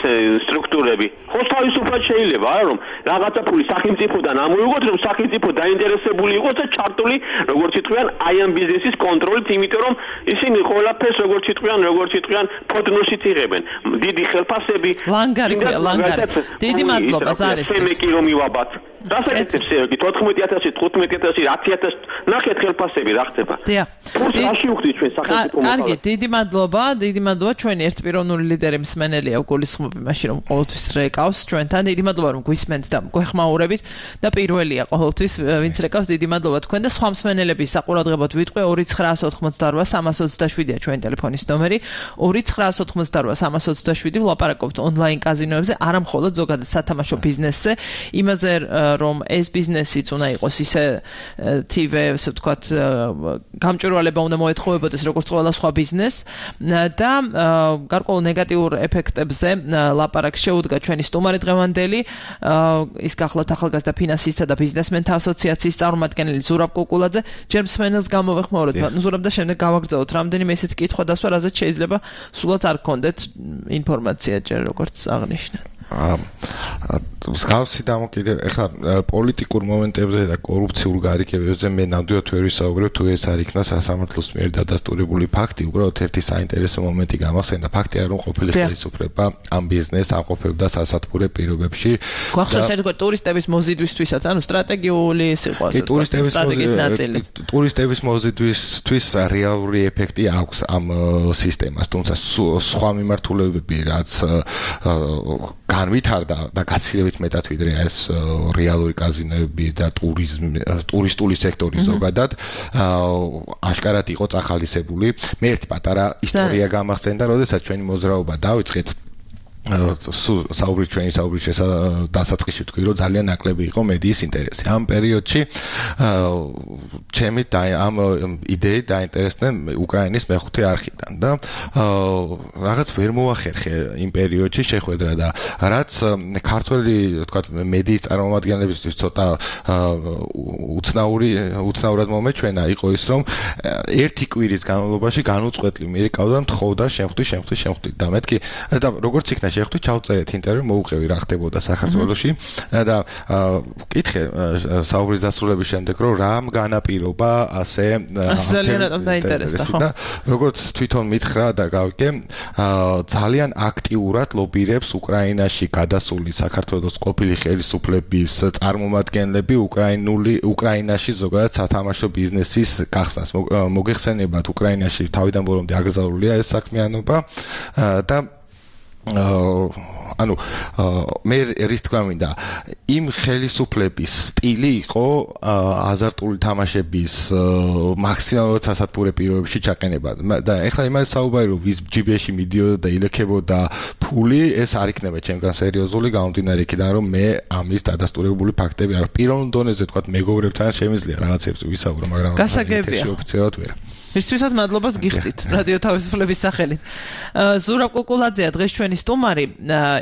F: სტრუქტურები. ხო თავისუფლად შეიძლება არა რომ რაღაცა ფული სახელმწიფოდან ამოიღოთ რომ სახელმწიფო დაინტერესებული იყოს და ჩართული როგორც იტყვიან აი ამ ბიზნესის კონტროლით, იმიტომ რომ ისინი ყველაფერს როგორც იტყვიან როგორც იტყვიან ფოტნოსით იღებენ. დიდი ხელფასები
C: ლანგარი ლანგარი დიდი მადლობა ზარის
F: მე კი რომ მივაბათ. დასაკეთებს ერთი თოთხმეტი ათასი, თხუთმეტი ათასი, ათი ათასი ნახეთ ხელფასები რა ხდება.
C: დიახ.
F: რაში უხდით ჩვენ სახელმწიფო მოხალხე.
C: კარგი, დიდი მადლობა, დიდი მადლობა ჩვენი ერთპიროვნული ლიდერი მსმენელია გულისხმობ იმაში რომ ყოველთვის რეკავს ჩვენთან. დიდი მადლობა რომ გვისმენთ და გვეხმაურებით და პირველია ყოველთვის ვინც რეკავს. დიდი მადლობა თქვენ და სხვა მსმენელების საყურადღებოდ ვიტყვი ორი ცხრაას ოთხმოცდაორვა სამას ოცდაშვიდია ჩვენი ტელეფონის ნომერი. ორი ცხრაას ოთხმოცდაორვა სამას ოცდაშვიდი ვლაპარაკობთ ონლაინ კაზინოებზე, არა მხოლოდ ზოგადად სათამაშო ბიზნესზე, იმაზე რომ ეს ბიზნესიც უნდა იყოს ისე თივე, ასე ვთქვათ, გამჭვირვალება უნდა მოეთხოვებოდეს როგორც ყველა სხვა ბიზნესს და გარკვეულ ნეგატიურ ეფექტებზე ლაპარაკს შეუდგა ჩვენი სტუმარი დღევანდელი, ის გახლავთ ახალგაზრდა ფინანსისტთა და ბიზნესმენთა ასოციაციის წარმომადგენელი ზურაბ კუკულაძე. ჯერ მსმენელს გამოვეხმაუროთ, ზურაბ და შემდეგ გავაგრძელოთ რამდენიმე ესეთი კითხვა დასვა, რაზეც შეიძლება სულაც არ გქონდეთ ინფორმაცია ჯერ როგორც აღნიშნე.
E: მსგავსი დამოკიდე ეხლა პოლიტიკურ მომენტებზე და კორუფციულ გარიგებებზე მე ნამდვილად ვერ ვისაუბრებ, თუ ეს არ იქნა სასამართლოს მიერ დადასტურებული ფაქტი. უბრალოდ ერთი საინტერესო მომენტი გამახსენდა. ფაქტი არ რომ ყოფილი ხელისუფლება ამ ბიზნესს ამყოფებდა სასათბურე პირობებში.
C: გვახსოვს ერთგვარ ტურისტების მოზიდვისთვისაც, ანუ სტრატეგიული ის იყო ასე.
E: ტურისტების მოზიდვისთვის რეალური ეფექტი აქვს ამ სისტემას, თუმცა სხვა მიმართულებები რაც განვითარდა და გაცილებით მეტად ვიდრე ეს რეალური კაზინოები და ტურიზმი, ტურისტული სექტორი ზოგადად აშკარად იყო წახალისებული. მე ერთი პატარა ისტორია გამახსენდა, როდესაც ჩვენი მოძრაობა დავიწყეთ საუბრის ჩვენი საუბრის დასაწყისში ვთქვი, რომ ძალიან ნაკლები იყო მედიის ინტერესი. ამ პერიოდში ჩემი ამ იდეით დაინტერესდნენ უკრაინის მეხუთე არხიდან და რაღაც ვერ მოახერხე იმ პერიოდში შეხვედრა და რაც ქართველი, ვთქვათ, მედიის წარმომადგენლებისთვის ცოტა უცნაური უცნაურად მომეჩვენა იყო ის, რომ ერთი კვირის განმავლობაში განუწყვეტლი მიერეკავდა მთხოვდა შემხვდი, შემხვდი, შემხვდი და მეთქი და როგორც იქნა შეხვდი, ჩავწერეთ ინტერვიუ, მოუყევი რა ხდებოდა საქართველოში და ვკითხე საუბრის დასრულების შემდეგ, რომ რამ განაპირობა ასე და როგორც თვითონ მითხრა და გავიგე, ძალიან აქტიურად ლობირებს უკრაინაში გადასული საქართველოს ყოფილი ხელისუფლების წარმომადგენლები უკრაინული უკრაინაში ზოგადად სათამაშო ბიზნესის გახსნას. მოგეხსენებათ, უკრაინაში თავიდან ბოლომდე აკრძალულია ეს საქმიანობა და ანუ მე რის თქმა მინდა იმ ხელისუფლების სტილი იყო აზარტული თამაშების მაქსიმალურად სასათბურე პირობებში ჩაყენება და ეხლა იმას საუბარი რომ ვის ჯიბეში მიდიოდა და ილექებოდა ფული, ეს არ იქნება ჩემგან სერიოზული გამომდინარე იქიდან რომ მე ამის დადასტურებული ფაქტები არ პირველ დონეზე თქვა მეგობრებთან შემიძლია რაღაცებს ვისაუბრო, მაგრამ
C: გასაგებია
E: ოფიციალურად ვერ
C: მისთვისაც მადლობას გიხდით რადიო თავისუფლების სახელით. ზურაბ კუკულაძეა დღეს ჩვენი სტუმარი.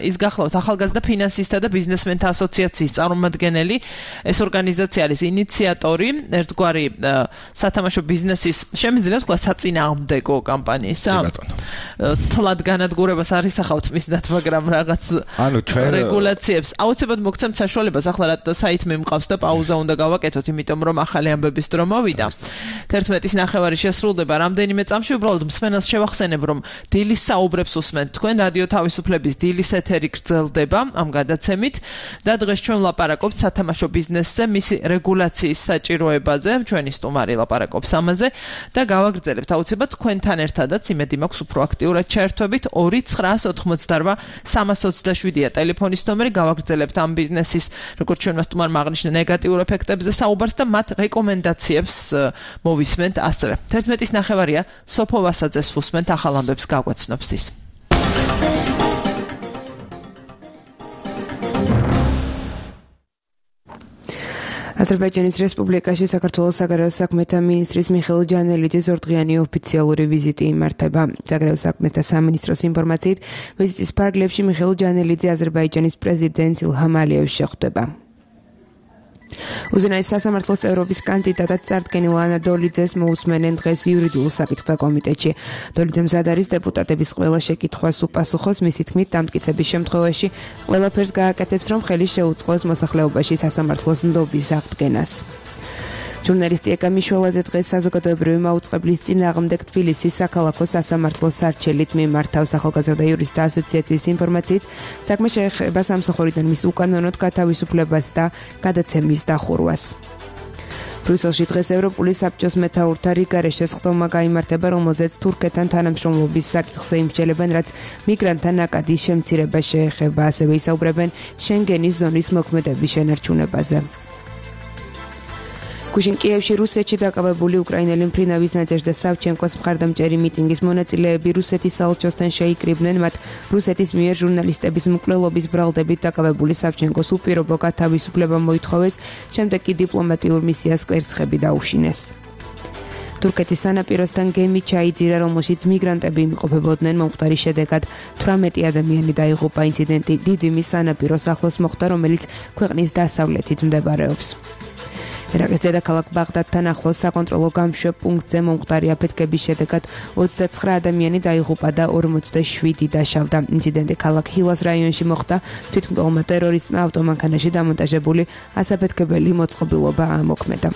C: ის გახლავთ ახალგაზრდა ფინანსისტთა და ბიზნესმენთა ასოციაციის წარმომადგენელი. ეს ორგანიზაცია არის ინიციატორი ერთგვარი სათამაშო ბიზნესის შემიძლია თქვა საწინააღმდეგო კამპანიისა. თლად განადგურებას არ ისახავთ მისდათ, მაგრამ რაღაც რეგულაციებს აუცილებლად მოგცემთ საშუალებას. ახლა რა საით მე მყავს და პაუზა უნდა გავაკეთოთ, იმიტომ რომ ახალი ამბების დრო მოვიდა. თერთმეტის ნახევარი სრულდება რამდენიმე წამში. უბრალოდ მსმენელს შევახსენებ, რომ დილის საუბრებს უსმენთ თქვენ რადიო თავისუფლების დილის ეთერი გრძელდება ამ გადაცემით და დღეს ჩვენ ვლაპარაკობთ სათამაშო ბიზნესზე, მისი რეგულაციის საჭიროებაზე. ჩვენი სტუმარი ლაპარაკობს ამაზე და გავაგრძელებთ აუცილებლად თქვენთან ერთადაც. იმედი მაქვს უფრო აქტიურად ჩაერთვებით. ორი ცხრა ოცდაოთხ სამას ოცდაშვიდია ტელეფონის ნომერი. გავაგრძელებთ ამ ბიზნესის, როგორც ჩვენმა სტუმარმა აღნიშნა, ნეგატიურ ეფექტებზე საუბარს და მათ რეკომენდაციებს მოვისმენთ ასევე. თერთმეტის ნახევარია სოფო ვასაძეს უსმენთ ახალ ამბებს გაგვაცნობს ის.
B: აზერბაიჯანის რესპუბლიკაში საქართველოს საგარეო საქმეთა მინისტრის მიხეილ ჯანელიძის ორდღიანი ოფიციალური ვიზიტი იმართება. საგარეო საქმეთა სამინისტროს ინფორმაციით, ვიზიტის ფარგლებში მიხეილ ჯანელიძე აზერბაიჯანის პრეზიდენტ ილჰამ ალიევს შეხვდება. უზენაეს სასამართლოს წევრობის კანდიდატად წარდგენილ ანა დოლიძეს მოусმენენ დღეს იურიდიულ საკითხთა კომიტეტში. დოლიძე მზად არის დეპუტატების ყველა შეკითხვას უპასუხოს. მისი თქმით, დამტკიცების შემთხვევაში ყველაფერს გააკეთებს, რომ ხელი შეუწყოს მოსახლეობაში სასამართლოს ნდობის აღდგენას. ჟურნალისტი ეკა მიშველაძე დღეს საზოგადოებრივი მაუწყებლის წინააღმდეგ თბილისის საქალაქო სასამართლოს სარჩელით მიმართავს. ახალგაზრდა იურისტთა ასოციაციის ინფორმაციით, საქმე შეეხება სამსახურიდან მის უკანონოდ გათავისუფლებას და გადაცემის დახურვას. ბრიუსელში დღეს ევროპული საბჭოს მეთაურთა რიგარე შესხდომა გაიმართება, რომელზეც თურქეთთან თანამშრომლობის საკითხზე იმსჯელებენ, რაც მიგრანტთა ნაკადის შემცირებას შეეხება. ასევე ისაუბრებენ შენგენის ზონის მოქმედების შენარჩუნებაზე. გუშინ კიევში რუსეთში დაკავებული უკრაინელი მფრინავის ნაძეჟდა სავჩენკოს მხარდამჭერი მიტინგის მონაწილეები რუსეთის საელჩოსთან შეიკრიბნენ. მათ რუსეთის მიერ ჟურნალისტების მკვლელობის ბრალდებით დაკავებული სავჩენკოს უპირობო გათავისუფლება მოითხოვეს, შემდეგ კი დიპლომატიურ მისიას კვერცხები დაუშინეს. თურქეთის სანაპიროსთან გემი ჩაიძირა, რომელშიც მიგრანტები იმყოფებოდნენ. მომხდარის შედეგად თვრამეტი ადამიანი დაიღუპა. ინციდენტი დიდვიმის სანაპიროს ახლოს მოხდა, რომელიც ქვეყნის დასავლეთით მდებარეობს. ერაყის დედაქალაქ ბაღდადთან ახლოს საკონტროლო გამშვებ პუნქტზე მომხდარი აფეთქების შედეგად ოცდაცხრა ადამიანი დაიღუპა და ორმოცდაშვიდი დაშავდა. ინციდენტი ქალაქ ჰილას რაიონში მოხდა. თვითმკვლელმა ტერორისტმა ავტომანქანაში დამონტაჟებული ასაფეთქებელი მოწყობილობა ამოქმედა.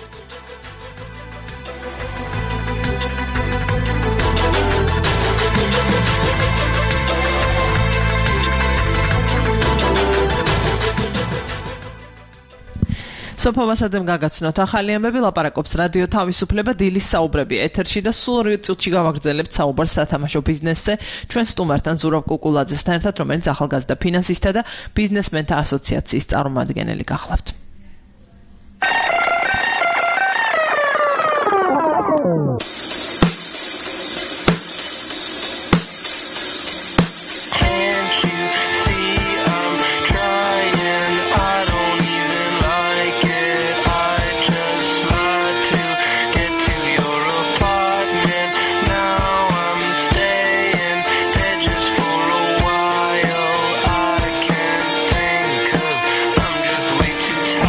B: სოფო ვასაძემ გაგაცნოთ ახალი ამბები. ლაპარაკობს რადიო თავისუფლება დილის საუბრები ეთერში და სულ ორი წუთში გავაგრძელებთ საუბარს სათამაშო ბიზნესზე ჩვენ სტუმართან ზურაბ კუკულაძესთან ერთად, რომელიც ახალგაზრდა ფინანსისტთა და ბიზნესმენთა ასოციაციის წარმომადგენელი გახლავთ.
G: Too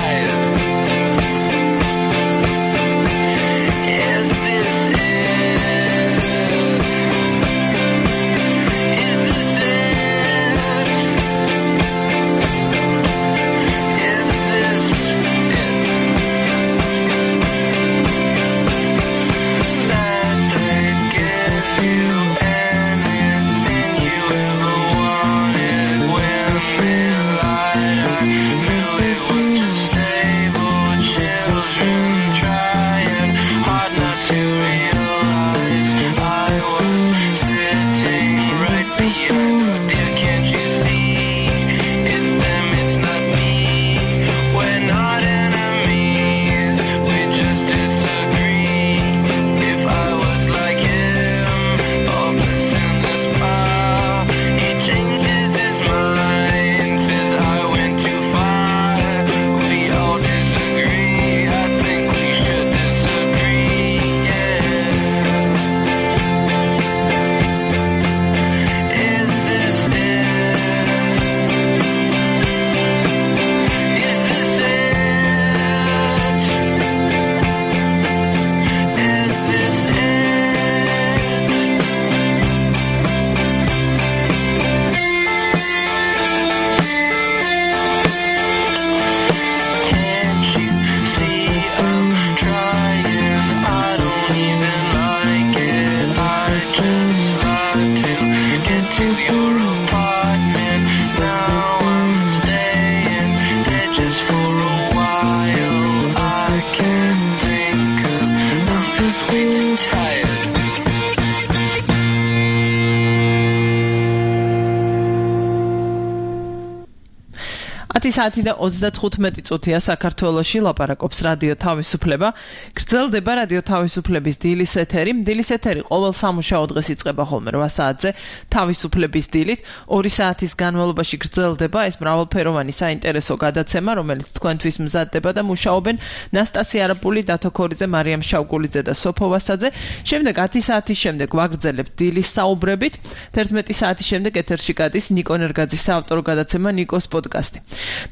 C: ათი საათი და ოცდათხუთმეტი წუთია საქართველოში ლაპარაკობს რადიო თავისუფლება. გრძელდება რადიო თავისუფლების დილის ეთერი. დილის ეთერი ყოველ სამუშაო დღეს იწყება ხოლმე რვა საათზე თავისუფლების დილით. ორი საათის განმავლობაში გრძელდება ეს მრავალფეროვანი საინტერესო გადაცემა, რომელიც თქვენთვის მზადდება და მუშაობენ ნასტასია არაპული, დათო ქორიძე, მარიამ შავგულიძე და სოფო ვასაძე. შემდეგ ათი საათის შემდეგ ვაგრძელებთ დილის საუბრებით. თერთმეტი საათის შემდეგ ეთერში გადის ნიკო ნერგაძის საავტორო გადაცემა ნიკოს პოდკასტი.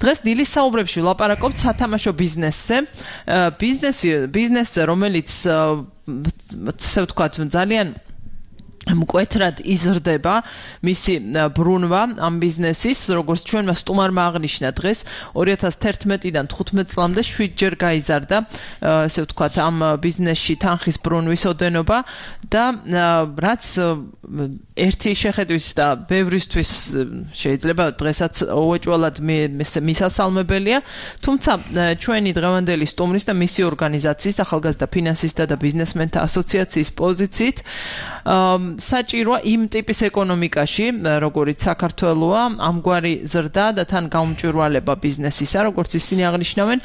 C: დღეს დილის საუბრებში ვლაპარაკობთ სათამაშო ბიზნესზე. ბიზნესი ბიზნესზე, რომელიც ასე ვთქვათ, ძალიან მკვეთრად იზრდება მისი ბრუნვა ამ ბიზნესის, როგორც ჩვენმა სტუმარმა აღნიშნა დღეს ორი ათას თერთმეტიდან თხუთმეტ წლამდე შვიდჯერ გაიზარდა, ასე ვთქვათ, ამ ბიზნესში თანხის ბრუნვის ოდენობა და რაც ერთი შეხედვის და ბევრისთვის შეიძლება დღესაც უეჭველად მისასალმებელია, თუმცა ჩვენი დღევანდელი სტუმრის და მისი ორგანიზაციის ახალგაზრდა ფინანსისტთა და ბიზნესმენთა ასოციაციის პოზიციით საჭიროა იმ ტიპის ეკონომიკაში, როგორც საქართველოა, ამგვარი ზრდა და თან გაუმჭვირვალება ბიზნესისა, როგორც ისინი აღნიშნავენ,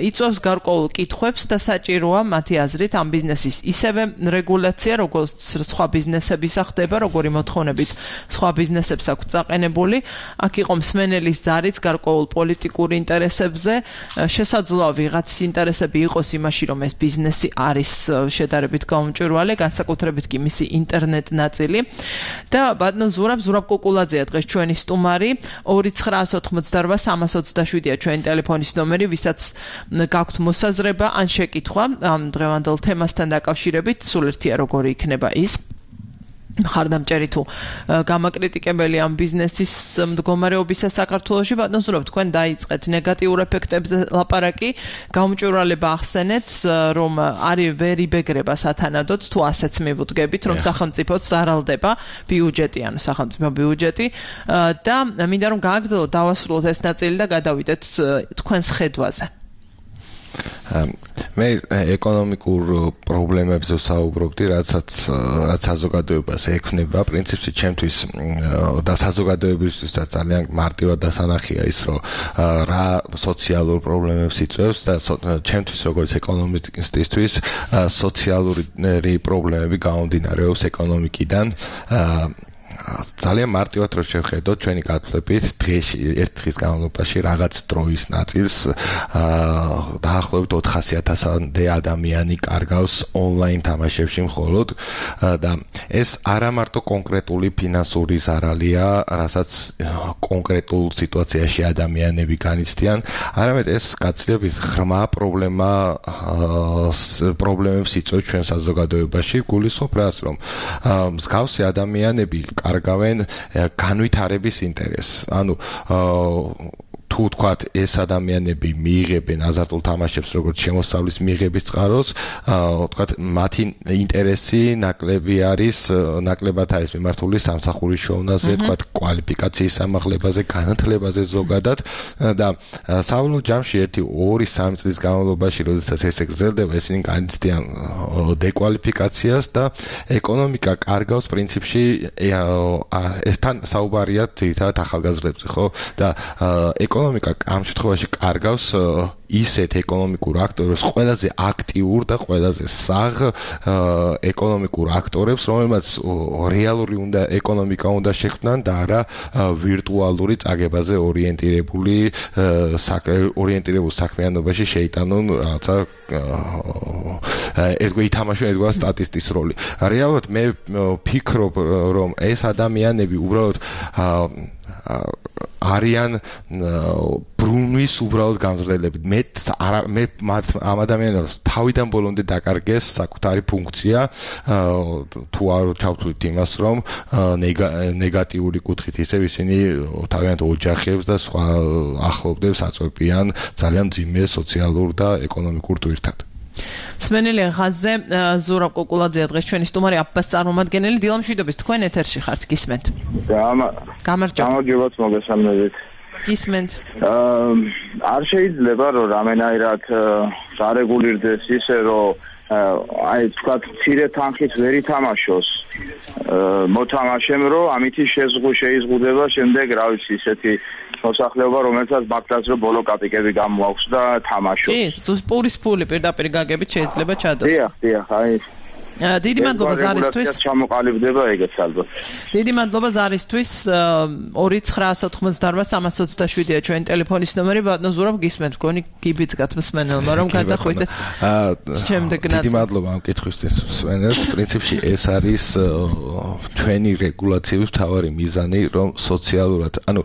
C: იწვევს გარკვეულ კითხვებს და საჭიროა მათი აზრით ამ ბიზნესის ისევე რეგულაცია, როგორც სხვა ბიზნესების ახდება, როგორი მოთხოვნებით სხვა ბიზნესებს აქვს წაყენებული. აქ იყო მსმენელის ზარიც გარკვეულ პოლიტიკურ ინტერესებზე, შესაძლოა ვიღაცის ინტერესები იყოს იმაში, რომ ეს ბიზნესი არის შედარებით გაუმჭვირვალე, განსაკუთრებით კი მისი ინტერნეტ ნაწილი და ბატონო ზურაბ ზურაბ კუკულაძეა დღეს ჩვენი სტუმარი. ორი ცხრაას ოთხმოცდარვა სამას ოცდაშვიდია ჩვენი ტელეფონის ნომერი, ვისაც გაქვთ მოსაზრება ან შეკითხვა ამ დღევანდელ თემასთან დაკავშირებით, სულ ერთია როგორი იქნება ის. მხარდამჭერი თუ გამაკრიტიკებელი ამ ბიზნესის მდგომარეობისა საქართველოში. ბატონო ზურაბ, თქვენ დაიწყეთ ნეგატიურ ეფექტებზე ლაპარაკი, გაუმჭვირვალება ახსენეთ, რომ არის ვერ იბეგრება სათანადოდ, თუ ასეც მივუდგებით, რომ სახელმწიფოც ზარალდება ბიუჯეტი, ანუ სახელმწიფო ბიუჯეტი და მინდა რომ გააგრძელოთ, დავასრულოთ ეს ნაწილი და გადავიდეთ თქვენს ხედვაზე.
E: მე ეკონომიკურ პრობლემებზე ვსაუბრობდი, რაცაც რაც საზოგადოებას ექნება, პრინციპში ჩემთვის და საზოგადოებისთვის ძალიან მარტივად დასანახია ის, რომ რა სოციალურ პრობლემებს იწვევს და ჩემთვის როგორც ეკონომისტისთვის სოციალური პრობლემები გამომდინარეობს ეკონომიკიდან. ძალიან მარტივად რო შევხედოთ ჩვენი გათვლებით დღეში ერთ დღის განმავლობაში რაღაც დროის ნაწილს დაახლოებით ოთხასი ათასამდე ადამიანი კარგავს ონლაინ თამაშებში მხოლოდ და ეს არა მარტო კონკრეტული ფინანსური ზარალია, რასაც კონკრეტულ სიტუაციაში ადამიანები განიცდიან, არამედ ეს გაცილებით ღრმა პრობლემა პრობლემებს იწვევს ჩვენ საზოგადოებაში. გულისხმობ რას, რომ მსგავსი ადამიანები კარგავენ განვითარების ინტერესს. ანუ თუ თქვათ ეს ადამიანები მიიღებენ აზარტულ თამაშებს როგორც შემოსავლის მიღების წყაროს, თქვათ მათი ინტერესი ნაკლები არის, ნაკლებად არის მიმართული სამსახურის შეოვნაზე, თქვათ კვალიფიკაციის ამაღლებაზე, განათლებაზე ზოგადად და საბოლოო ჯამში ერთი ორი სამი წლის განმავლობაში, როდესაც ესე გრძელდება, ესენი განიცდიან დეკვალიფიკაციას და ეკონომიკა კარგავს პრინციპში ესთან საუბარია ძირითადად ახალგაზრდებზე, ხო? და ეკონომიკა ამ შემთხვევაში კარგავს ისეთ ეკონომიკურ აქტორებს, ყველაზე აქტიურ და ყველაზე საღ ეკონომიკურ აქტორებს, რომელმაც რეალური უნდა ეკონომიკა უნდა შექმნან და არა ვირტუალური წაგებაზე ორიენტირებული ორიენტირებულ საქმიანობაში შეიტანონ რაღაცა ერთგვარი ითამაშონ ერთგვარი სტატისტის როლი. რეალურად მე ვფიქრობ, რომ ეს ადამიანები უბრალოდ არიან ბრუნვის უბრალოდ გამზრდელები. მე მე ამ ადამიანებს თავიდან ბოლომდე დაკარგეს საკუთარი ფუნქცია, თუ არ ჩავთვლით იმას, რომ ნეგატიური კუთხით ისევ ისინი თავიანთ ოჯახებს და სხვა ახლობლებს აწვევიან ძალიან მძიმე სოციალურ და ეკონომიკურ ტვირთად.
C: სმენელი ხაზზე ზურაბ კუკულაძეა დღეს ჩვენი სტუმარი, აფას წარმომადგენელი. დილამშვიდობის, თქვენ ეთერში ხართ, გისმენთ? გამარჯობა.
G: გამარჯობათ, მოგესალმებით.
C: გისმენთ?
G: არ შეიძლება რომ რამენაირად დარეგულირდეს ისე, რომ აი თქვა მცირე თანხით ვერ ითამაშოს მოთამაშემ, რომ ამითი შეზღუდვა შეიზღუდება შემდეგ, რა ვიცი, ისეთი მოსახლეობა, რომელსაც მაგდას რომ ბოლო კაპიკები გამოაქვს და თამაშობს.
C: კი, პურის ფული პირდაპირ გაგებით შეიძლება ჩადოს.
G: დიახ, დიახ, აი
C: დიდი მადლობა ზარისთვის.
G: ჩამოყალიბდება ეგეც ალბათ.
C: დიდი მადლობა ზარისთვის. ორი ცხრაას ოთხმოცდაორმა სამას ოცდაშვიდია ჩვენ ტელეფონის ნომერი. ბატონო ზურაბ გისმენთ, გონი გიბიძგათ მსმენელმა რომ გადახვიდეთ. შემდეგ
E: დიდი მადლობა ამ კითხვისთვის მსმენელს. პრინციპში ეს არის ჩვენი რეგულაციების მთავარი მიზანი, რომ სოციალურად, ანუ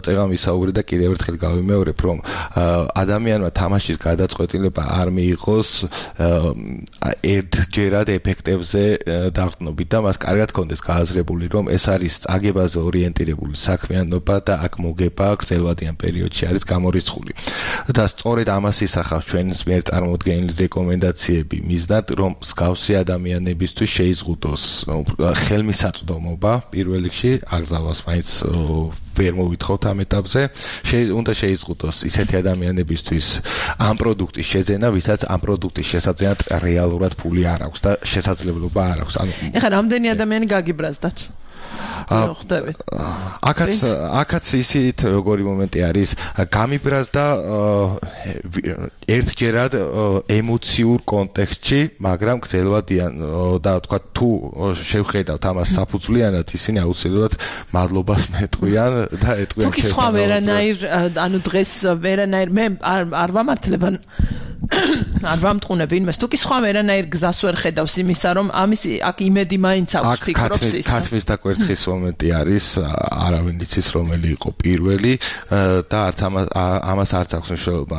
E: წეგამ ისაუბრე და კიდევ ერთხელ გავიმეორებ, რომ ადამიანმა თამაშის გადაწყვეტილება არ მიიღოს ერთჯერად ეფექტებზე დაყრდნობით და მას კარგად კონდეს გააზრებული, რომ ეს არის წაგებაზე ორიენტირებული საქმიანობა და აქ მოგება გრძელვადიან პერიოდში არის გამორიცხული. და სწორედ ამას ისახავს ჩვენს მიერ წარმოდგენილი რეკომენდაციები მიზნად, რომ მსგავსი ადამიანებისთვის შეიზღუდოს ხელმისაწვდომობა პირველ რიგში, აკრძალვას მაინც ვერ მოვითხოვთ ამ ეტაპზე, უნდა შეიზღუდოს ისეთი ადამიანებისთვის ამ პროდუქტის შეძენა, ვისაც ამ პროდუქტის შესაძენად რეალურად ფული არ აქვს და შესაძლებლობა არ აქვს. ანუ
C: ეხლა რამდენი ადამიანი გაგიბრაზდათ? ხვდებით.
E: აქაც აქაც ისეთ როგორი მომენტი არის, გამიბრაზდა ერთჯერად ემოციურ კონტექსტში, მაგრამ გრძელვადიან და თქვა თუ შევხედავთ ამას საფუძვლიანად, ისინი აუცილებლად მადლობას მეტყვიან და ეტყვიან
C: თუ სხვა ვერანაირ, ანუ დღეს ვერანაირ მე არ ვამართლებ არ ვამტყუნებ ვინმეს, თუ კი სხვა ვერანაირ გზას ვერ ხედავს იმისა, რომ ამის აქ იმედი მაინც აქვს ფიქრობს ის.
E: ქათმის და კვერცხის მომენტი არის, არავინ იცის რომელი იყო პირველი და არც ამას არც აქვს მნიშვნელობა.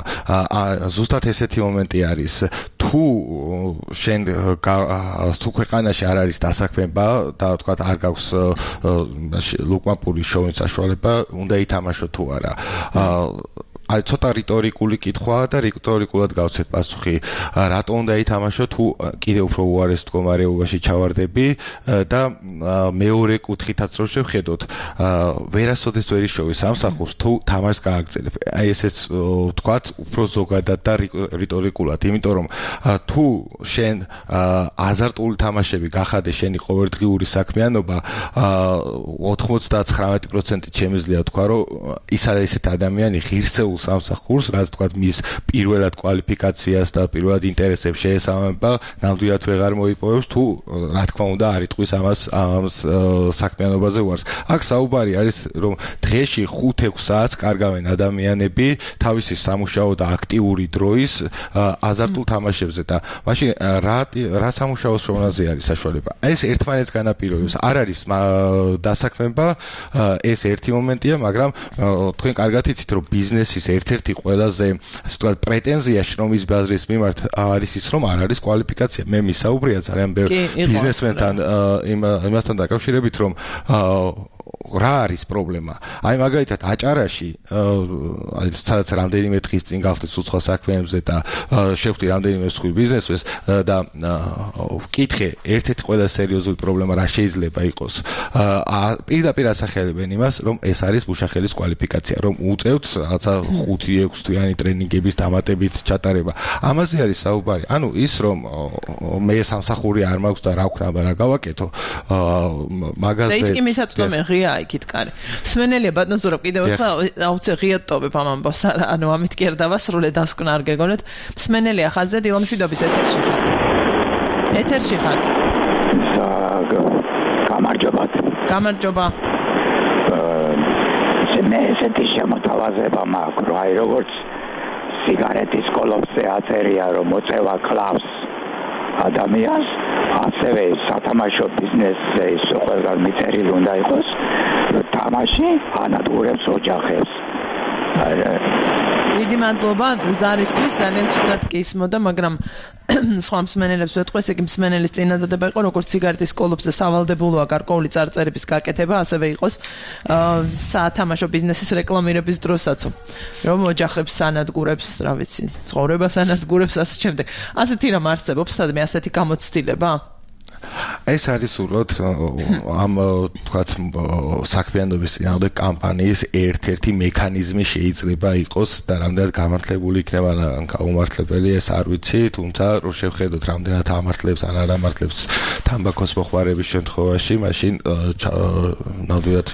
E: ზუსტად ესეთი მომენტი არის, თუ შენ თუ ქვეყანაში არ არის დასაქმება და თქვა არ გაქვს ლუკმაპური შოუის საშუალება, უნდა ითამაშო თუ არა. აი ცოტა რიტორიკული კითხვაა და რიტორიკულად გავცეთ პასუხი. რატო უნდა ითამაშო თუ კიდევ უფრო უარეს მდგომარეობაში ჩავარდები და მეორე კუთხითაც რო შევხედოთ, ვერასოდეს ვერ იშოვი სამსახურს თუ თამაშს გააგრძელებ. აი ესეც ვთქვათ უფრო ზოგადად და რიტორიკულად, იმიტომ რომ თუ შენ აზარტული თამაშები გახადე შენი ყოველდღიური საქმიანობა, ოთხმოცდათხრამეტი პროცენტით შემიძლია თქვა, რომ ის არის ესეთ ადამიანი ღირსეულ სამსახურს, რაც თქვა მის პირველად კვალიფიკაციას და პირველად ინტერესებს შეესაბამება, ნამდვილად ვეღარ მოიპოვებს თუ რა თქმა უნდა არ იტყვის ამას ამ საქმიანობაზე ვარს. აქ საუბარი არის, რომ დღეში ხუთ-ექვს საათს კარგავენ ადამიანები თავისი სამუშაო და აქტიური დროის აზარტულ თამაშებზე და მაშინ რა რა სამუშაო შრომაზე არის საშუალება. ეს ერთმანეთს განაპირობებს. არ არის დასაქმება, ეს ერთი მომენტია, მაგრამ თქვენ კარგად იცით, რომ ბიზნესის ერთ-ერთი ყველაზე, ასე ვთქვათ, პრეტენზია შრომის ბაზრის მიმართ არის ის, რომ არ არის კვალიფიკაცია. მე მისაუბრია ძალიან ბევრ ბიზნესმენთან იმასთან დაკავშირებით, რომ რა არის პრობლემა? აი მაგალითად აჭარაში, აი სადაც რამდენიმე დღის წინ გავხდით უცხო საქმეებზე და შევხვდი რამდენიმე მსხვილ ბიზნესმენს და ვკითხე, ერთ-ერთი ყველა სერიოზული პრობლემა რა შეიძლება იყოს. პირდაპირ ასახელებენ იმას, რომ ეს არის მუშახელის კვალიფიკაცია, რომ უწევთ რაღაცა ხუთი-ექვს თვიანი ტრენინგების დამატებით ჩატარება. ამაზე არის საუბარი. ანუ ის, რომ მე სამსახური არ მაქვს და რა ვქნა რა გავაკეთო, მაგაზე
C: და ის კი მისაწვდომე ღია იქით კარი. სმენელია ბატონო ზურაბ, კიდევ ერთხელ აუცე ღიად ტობებ ამ ამბავს, ანუ ამით კი არ დავასრულე დასკვნა არ გეგონოთ. სმენელია ხაზზე დილამშვიდობის ეთერში ხართ. ეთერში ხართ.
H: გამარჯობათ.
C: გამარჯობა.
H: მე ესეთი შემოთავაზება მაქვს, რომ აი როგორც სიგარეტის კოლოფზე აწერია, რომ მოწევა კლავს ადამიანს, ასევე სათამაშო ბიზნესზე ის ყველგან მიწერილი უნდა იყოს, რომ თამაში ანადგურებს ოჯახებს.
C: დიდი მადლობა ზარისთვის, ძალიან ცუდად გისმოდა, მაგრამ სხვა მსმენელებს ვეთქვი, ესე იგი მსმენელის წინადადება იყო, როგორც სიგარეტის კოლოფზე სავალდებულოა გარკვეული წარწერების გაკეთება, ასევე იყოს სათამაშო ბიზნესის რეკლამირების დროსაც, რომ ოჯახებს ანადგურებს, რა ვიცი, ცხოვრებას ანადგურებს ასე შემდეგ. ასეთი რამ არსებობს, სადმე ასეთი გამოცდილება?
E: ეს არის სულოდ ამ თქვათ საქმიანობის წინააღმდეგ კამპანიის ერთ-ერთი მექანიზმი შეიძლება იყოს და რამდენად გამართლებული იქნება ან გაუმართლებელი ეს არ ვიცი, თუმცა რო შევხედოთ რამდენად ამართლებს ან არ ამართლებს თამბაქოს მოხმარების შემთხვევაში, მაშინ ნამდვილად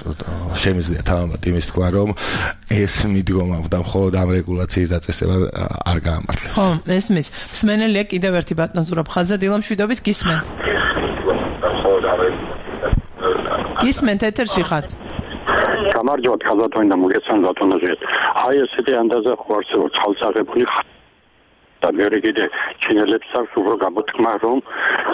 E: შემიძლია თავად იმის თქვა, რომ ეს მიდგომა და მხოლოდ ამ რეგულაციის დაწესება არ გაამართლებს.
C: ხო, ესმის. მსმენელია კიდევ ერთი ბატონ ზურაბხაზა დილამშვიდობის გისმენთ. გისმენთ ეთერში ხართ.
I: გამარჯობათ ხაზათოინდა მოგეცან ბატონოზე. აი ესეთი ანდაზა ხო არსებობს ხალხსაღებული და მე კიდე ჩინელებს აქვს უფრო გამოთქმა რომ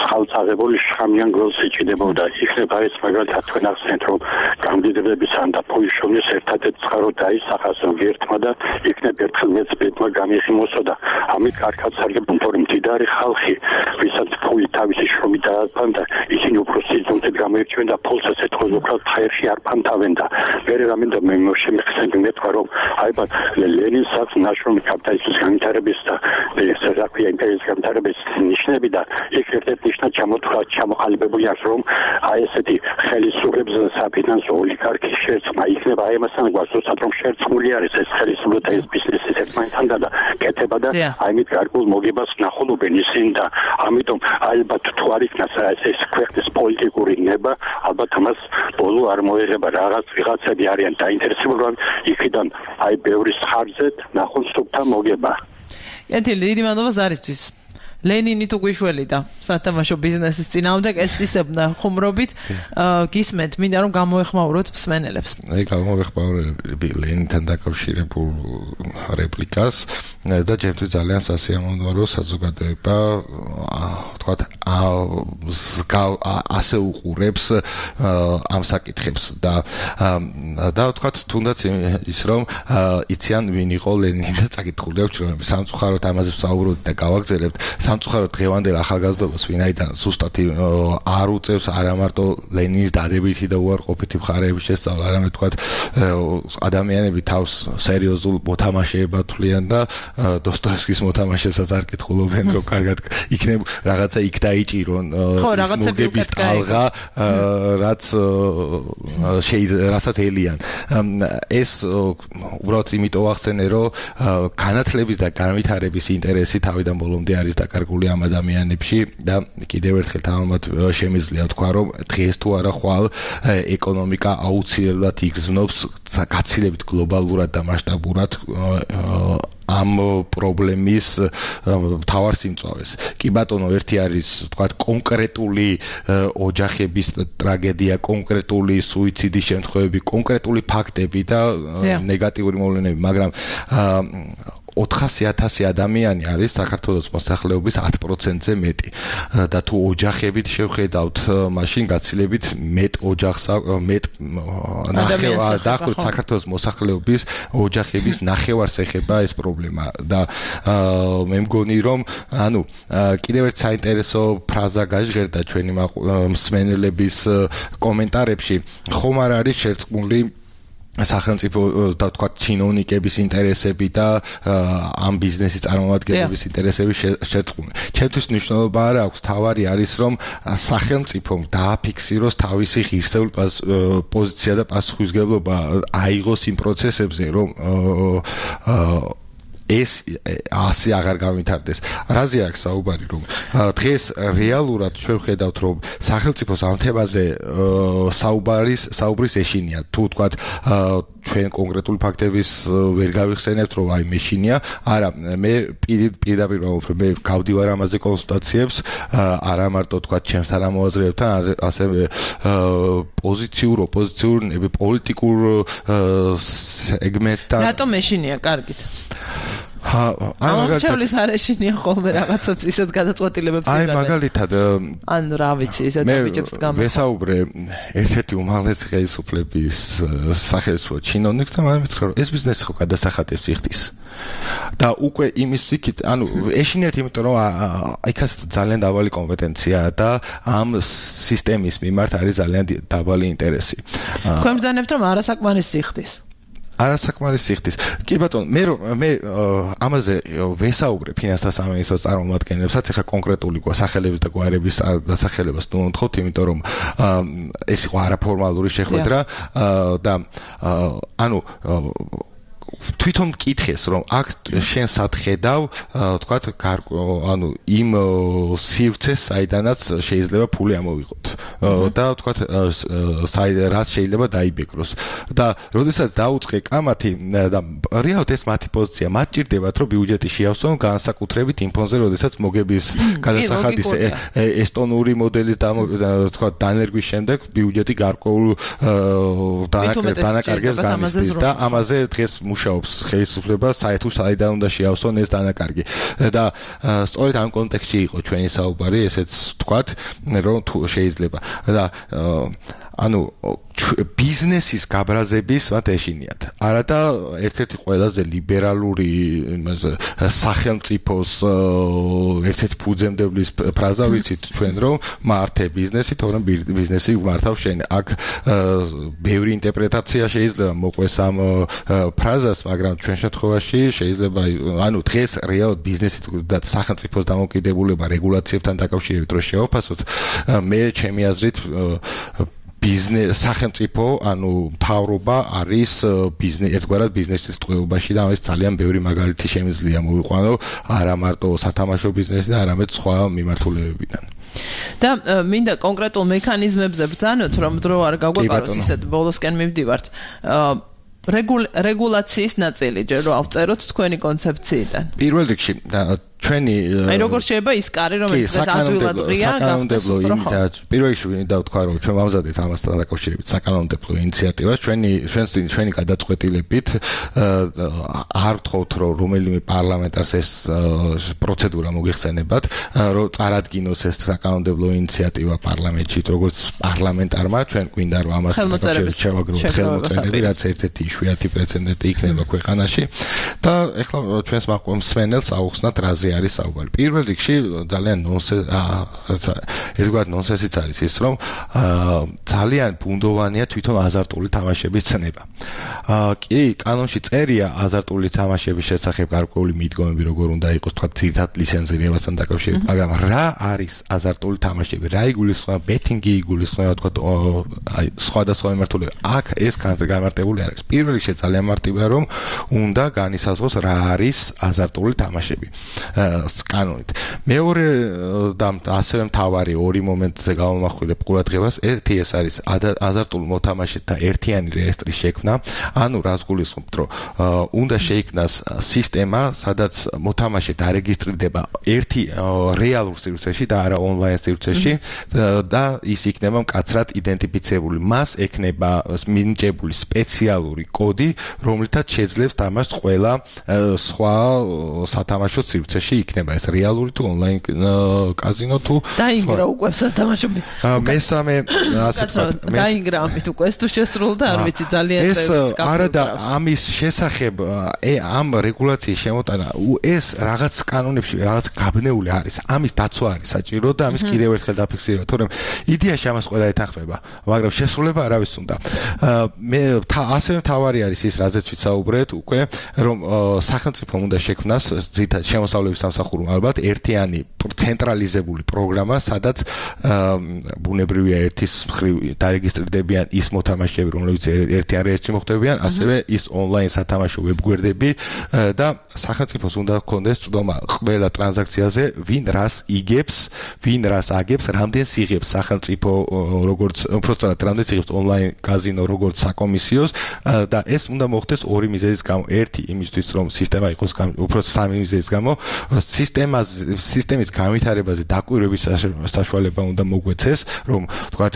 I: ხალხსაღებული შხამიან გოლს იჭდებოდა. იქნება ეს მაგალითად თქვენ ახსენეთ რომ გამდიდრებებისა და პოიშონის ერთადერთ წყარო დაისახას ერთმა და იქნება ერთხელ მეც ბედმა გამიხიმოსო და ამით კარგად სარგებლობენ თორემ მდიდარი ხალხი ვისაც ფული თავისი შრომით დაარბან და ისინი უფრო სიზონით გამოირჩევენ და ფულს ასე თქოს უფრო ფაერში არ ფანთავენ და მე რამინდა მე შემიხსენდი მე თქვა რომ აიბად ლენინს აქვს ნაშრომი კაპიტალიზმის განვითარების და ეს რაქვია იმპერიის განვითარების ნიშნები და იქ ერთ-ერთი ნიშნა ჩამოთქვა ჩამოყალიბებული აქვს რომ აი ესეთი ხელისუფლების საფინანსო ოლიგარქის შერწყმა იქნება აი ამასთან გვასწორად რომ შერწყმული არის ეს ხელისუფლება და ეს ბიზნესი ერთმანეთთან და კეთება და აი მით გარკვეულ მოგებას ნახულობენ ისინი და ამიტომ ალბათ თუ არ იქნას ეს ქვეყნის პოლიტიკური ნება ალბათ ამას ბოლო არ მოეღება რაღაც ვიღაცები არიან დაინტერესებული რომ იქიდან აი ბევრი ხარჯეთ ნახონ სუფთა მოგება.
C: ეთილი დიდი მადლობა ზარისთვის. ლენინი თუ გვიშველი და სათამაშო ბიზნესის წინააღმდეგ ეს ისებნა ხუმრობით გისმენთ მინდა რომ გამოეხმაუროთ მსმენელებს.
E: აი გამოვეხმაურები ლენინთან დაკავშირებულ რეპლიკას და ჩემთვის ძალიან სასიამოვნოა საზოგადოება თქვათ ასე უყურებს ამ საკითხებს და და თქვათ თუნდაც ის რომ იციან ვინ იყო ლენინი და წაკითხული აქვს ჩვენები სამწუხაროდ ამაზე ვსაუბრობთ და გავაგზავნებთ სამწუხაროდ დღევანდელ ახალგაზრდობას ვინაიდან ზუსტად არ უწევს არა მარტო ლენინის დადებითი და უარყოფითი მხარეების შესწავლა, არამედ თქვათ ადამიანები თავს სერიოზულ მოთამაშეებად თვლიან და დოსტოევსკის მოთამაშესაც არ კითხულობენ რომ კარგად იქნებ რაღაცა იქ დაიჭირონ მოგების ტალღა რაც შეიძლება რასაც ელიან ეს უბრალოდ იმიტომ ახსენე რომ განათლების და განვითარების ინტერესი თავიდან ბოლომდე არის დაკარგული ამ ადამიანებში და კიდევ ერთხელ თამამად შემიძლია თქვა რომ დღეს თუ არა ხვალ ეკონომიკა აუცილებლად იგრძნობს გაცილებით გლობალურად და მასშტაბურად ამ პრობლემის მთავარ სიმწვავეს. კი ბატონო, ერთი არის თქვა კონკრეტული ოჯახების ტრაგედია, კონკრეტული სუიციდის შემთხვევები, კონკრეტული ფაქტები და ნეგატიური მოვლენები, მაგრამ ოთხასი ათასი ადამიანი არის საქართველოს მოსახლეობის ათ პროცენტზე მეტი და თუ ოჯახებით შევხედავთ, მაშინ გაცილებით მეტ ოჯახს მეტ ნახევარ დაახლოებით საქართველოს მოსახლეობის ოჯახების ნახევარს ეხება ეს პრობლემა და მე მგონი რომ ანუ კიდევ ერთ საინტერესო ფრაზა გაჟღერდა ჩვენი მსმენელების კომენტარებში, ხომ არ არის შერწყმული სახელმწიფო და თქვა ჩინოვნიკების ინტერესები და ამ ბიზნესის წარმომადგენლების ინტერესები შერწყმული. ჩემთვის მნიშვნელობა არ აქვს, თავარი არის რომ სახელმწიფომ დააფიქსიროს თავისი ღირსეული პოზიცია და პასუხისმგებლობა აიღოს იმ პროცესებზე, რომ ეს ასე აღარ გავითარდეს. რაზე აქვს საუბარი, რომ დღეს რეალურად ჩვენ ვხედავთ, რომ სახელმწიფოს ამ თემაზე საუბარის საუბრის ეშინია. თუ თქვათ ჩვენ კონკრეტული ფაქტების ვერ გავიხსენებთ, რომ აი მეშინია, არა, მე პირდაპირ ვამბობ, მე გავდივარ ამაზე კონსულტაციებს, არა მარტო თქვათ ჩემს თანამოაზრეებთან, ასევე პოზიციურ, ოპოზიციურ, პოლიტიკურ სეგმენტთან.
C: რატომ მეშინია, კარგით?
E: აი
C: მაგალითად არეშინია ხოლმე რაღაცებს ისეთ გადაწყვეტილებებს იღებენ.
E: აი მაგალითად
C: ან რა ვიცი, ისეთ ბიჭებს გამო.
E: მე ვესაუბრე ერთ-ერთი უმაღლესი ხელისუფლების სახელმწიფო ჩინოვნიკს და მან მითხრა, რომ ეს ბიზნესი ხო გადასახადებს იხდის. და უკვე იმის იქით, ანუ ეშინიათ, იმიტომ რომ იქაც ძალიან დაბალი კომპეტენცია და ამ სისტემის მიმართ არის ძალიან დაბალი ინტერესი.
C: თქვენ ბრძანებთ, რომ არასაკმარისი იხდის.
E: არასაკმარისი ხდის. კი ბატონო, მე მე ამაზე ვესაუბრე ფინანსთა სამინისტროს წარმომადგენლებსაც, ეხლა კონკრეტული სახელების და გვარების დასახელებას თუ ვთხოვთ, იმიტომ რომ ეს იყო არაფორმალური შეხვედრა და ანუ თვითონ მკითხეს რომ აქ შენ სად ხედავ თქვათ ანუ იმ სივრცეს საიდანაც შეიძლება ფული ამოვიღოთ და თქვათ რაც შეიძლება დაიბეკროს და როდესაც დაუწყე კამათი და რეალურად ეს მათი პოზიცია მათ ჭირდებათ რომ ბიუჯეტი შეავსონ განსაკუთრებით იმ ფონზე როდესაც მოგების გადასახადის ესტონური მოდელის თქვათ დანერგვის შემდეგ ბიუჯეტი გარკვეულ დანაკარგებს განიცდის და ამაზე დღეს მუშაობს ხელისუფლება საერთო საიდან უნდა შეავსონ ეს დანაკარგი და სწორედ ამ კონტექსტში იყო ჩვენი საუბარი ესეც თქვათ რომ თუ შეიძლება და ანუ ბიზნესის გაბრაზების მათ ეშინიათ არა და ერთ-ერთი ყველაზე ლიბერალური იმაზე სახელმწიფოს ერთ-ერთი ფუძემდებლის ფრაზა ვიცით ჩვენ რომ მართე ბიზნესი თორემ ბიზნესი მართავ შენ აქ ბევრი ინტერპრეტაცია შეიძლება მოყვეს ამ ფრაზას მაგრამ ჩვენ შემთხვევაში შეიძლება ანუ დღეს რეალურად ბიზნესი და სახელმწიფოს დამოკიდებულება რეგულაციებთან დაკავშირებით რო შევაფასოთ მე ჩემი აზრით ბიზნეს სახელმწიფო ანუ მთავრობა არის ბიზნეს ერთგვარად ბიზნესის ტყვეობაში და ამას ძალიან ბევრი მაგალითი შემიძლია მოვიყვანო არა მარტო სათამაშო ბიზნესი და არამედ სხვა მიმართულებებიდან
C: და მინდა კონკრეტულ მექანიზმებზე ბრძანოთ რომ დრო არ გაგვეპაროს ისეთ ბოლოსკენ მივდივართ რეგულაციის ნაწილი ჯერ რომ ავწეროთ თქვენი კონცეფციიდან
E: პირველ რიგში ჩვენი
C: აი როგორ შეიძლება ის კარი რომელიც დღეს ადვილად ღია
E: საკანონმდებლო ინიციატივა პირველ რიგში მინდა ვთქვა რომ ჩვენ ვამზადეთ ამასთან დაკავშირებით საკანონმდებლო ინიციატივას ჩვენი ჩვენს ჩვენი გადაწყვეტილებით არ ვთხოვთ რომ რომელიმე პარლამენტარს ეს პროცედურა მოგიხსენებათ რომ წარადგინოს ეს საკანონმდებლო ინიციატივა პარლამენტში როგორც პარლამენტარმა ჩვენ გვინდა რომ ამასთან დაკავშირებით შევაგროვოთ ხელმოწერები რაც ერთ-ერთი იშვიათი პრეცედენტი იქნება ქვეყანაში და ეხლა ჩვენს მსმენელს აუხსნათ რაზე არის საუბარი. პირველ რიგში ძალიან ნონსენსი ერთგვარ ნონსენსიც არის ის რომ ძალიან ბუნდოვანია თვითონ აზარტული თამაშების ცნება. კი, კანონში წერია აზარტული თამაშების შესახებ გარკვეული მიდგომები როგორ უნდა იყოს თქვა ძირითად ლიცენზირებასთან დაკავშირებით, მაგრამ რა არის აზარტული თამაშები? რა იგულისხმება? ბეტინგი იგულისხმება თქვა აი სხვადასხვა მიმართულება. აქ ეს განმარტებული არის. პირველ რიგში ძალიან მარტივია რომ უნდა განისაზღვროს რა არის აზარტული თამაშები. კანონით. მეორე და ასევე მთავარი ორი მომენტზე გავამახვილებ ყურადღებას. ერთი ეს არის აზარტულ მოთამაშეთა ერთიანი რეესტრის შექმნა. ანუ რას გულისხმობთ, რომ უნდა შეიქმნას სისტემა, სადაც მოთამაშე დარეგისტრირდება ერთი რეალურ სივრცეში და არა ონლაინ სივრცეში და ის იქნება მკაცრად იდენტიფიცირებული. მას ექნება მინიჭებული სპეციალური კოდი, რომლითაც შეძლებს თამაშს ყველა სხვა სათამაშო სივრცეში იქნება ეს რეალური თუ ონლაინ კაზინო თუ
C: დაინგრა უკვე სათამაშოები.
E: მესამე ასე ვთქვათ,
C: დაინგრა ამით უკვე ეს თუ შესრულდა, არ ვიცი ძალიან
E: ეს არა და ამის შესახებ ამ რეგულაციის შემოტანა ეს რაღაც კანონებში რაღაც გაბნეული არის. ამის დაცვა არის საჭირო და ამის კიდევ ერთხელ დაფიქსირება, თორემ იდეაში ამას ყველა ეთანხმება, მაგრამ შესრულება არავის უნდა. მე ასევე მთავარი არის ის, რაზეც ვისაუბრეთ უკვე, რომ სახელმწიფომ უნდა შექმნას ძირითადად შემოსავლების სამსახურომ ალბათ ერთიანი ცენტრალიზებული პროგრამა, სადაც ბუნებრივია ერთის მხრივ დარეგისტრირდებიან ის მოთამაშეები, რომლებიც ერთიან რეესტრში მოხვდებიან, ასევე ის ონლაინ სათამაშო ვებგვერდები და სახელმწიფოს უნდა ჰქონდეს წვდომა ყველა ტრანზაქციაზე, ვინ რას იგებს, ვინ რას აგებს, რამდენს იღებს სახელმწიფო როგორც უბრალოდ რამდენს იღებს ონლაინ კაზინო როგორც საკომისიოს და ეს უნდა მოხდეს ორი მიზეზის გამო. ერთი იმისთვის, რომ სისტემა იყოს უბრალოდ სამი მიზეზის გამო, სისტემას სისტემის განვითარებაზე დაკვირვების საშუალება უნდა მოგვეცეს, რომ თქვათ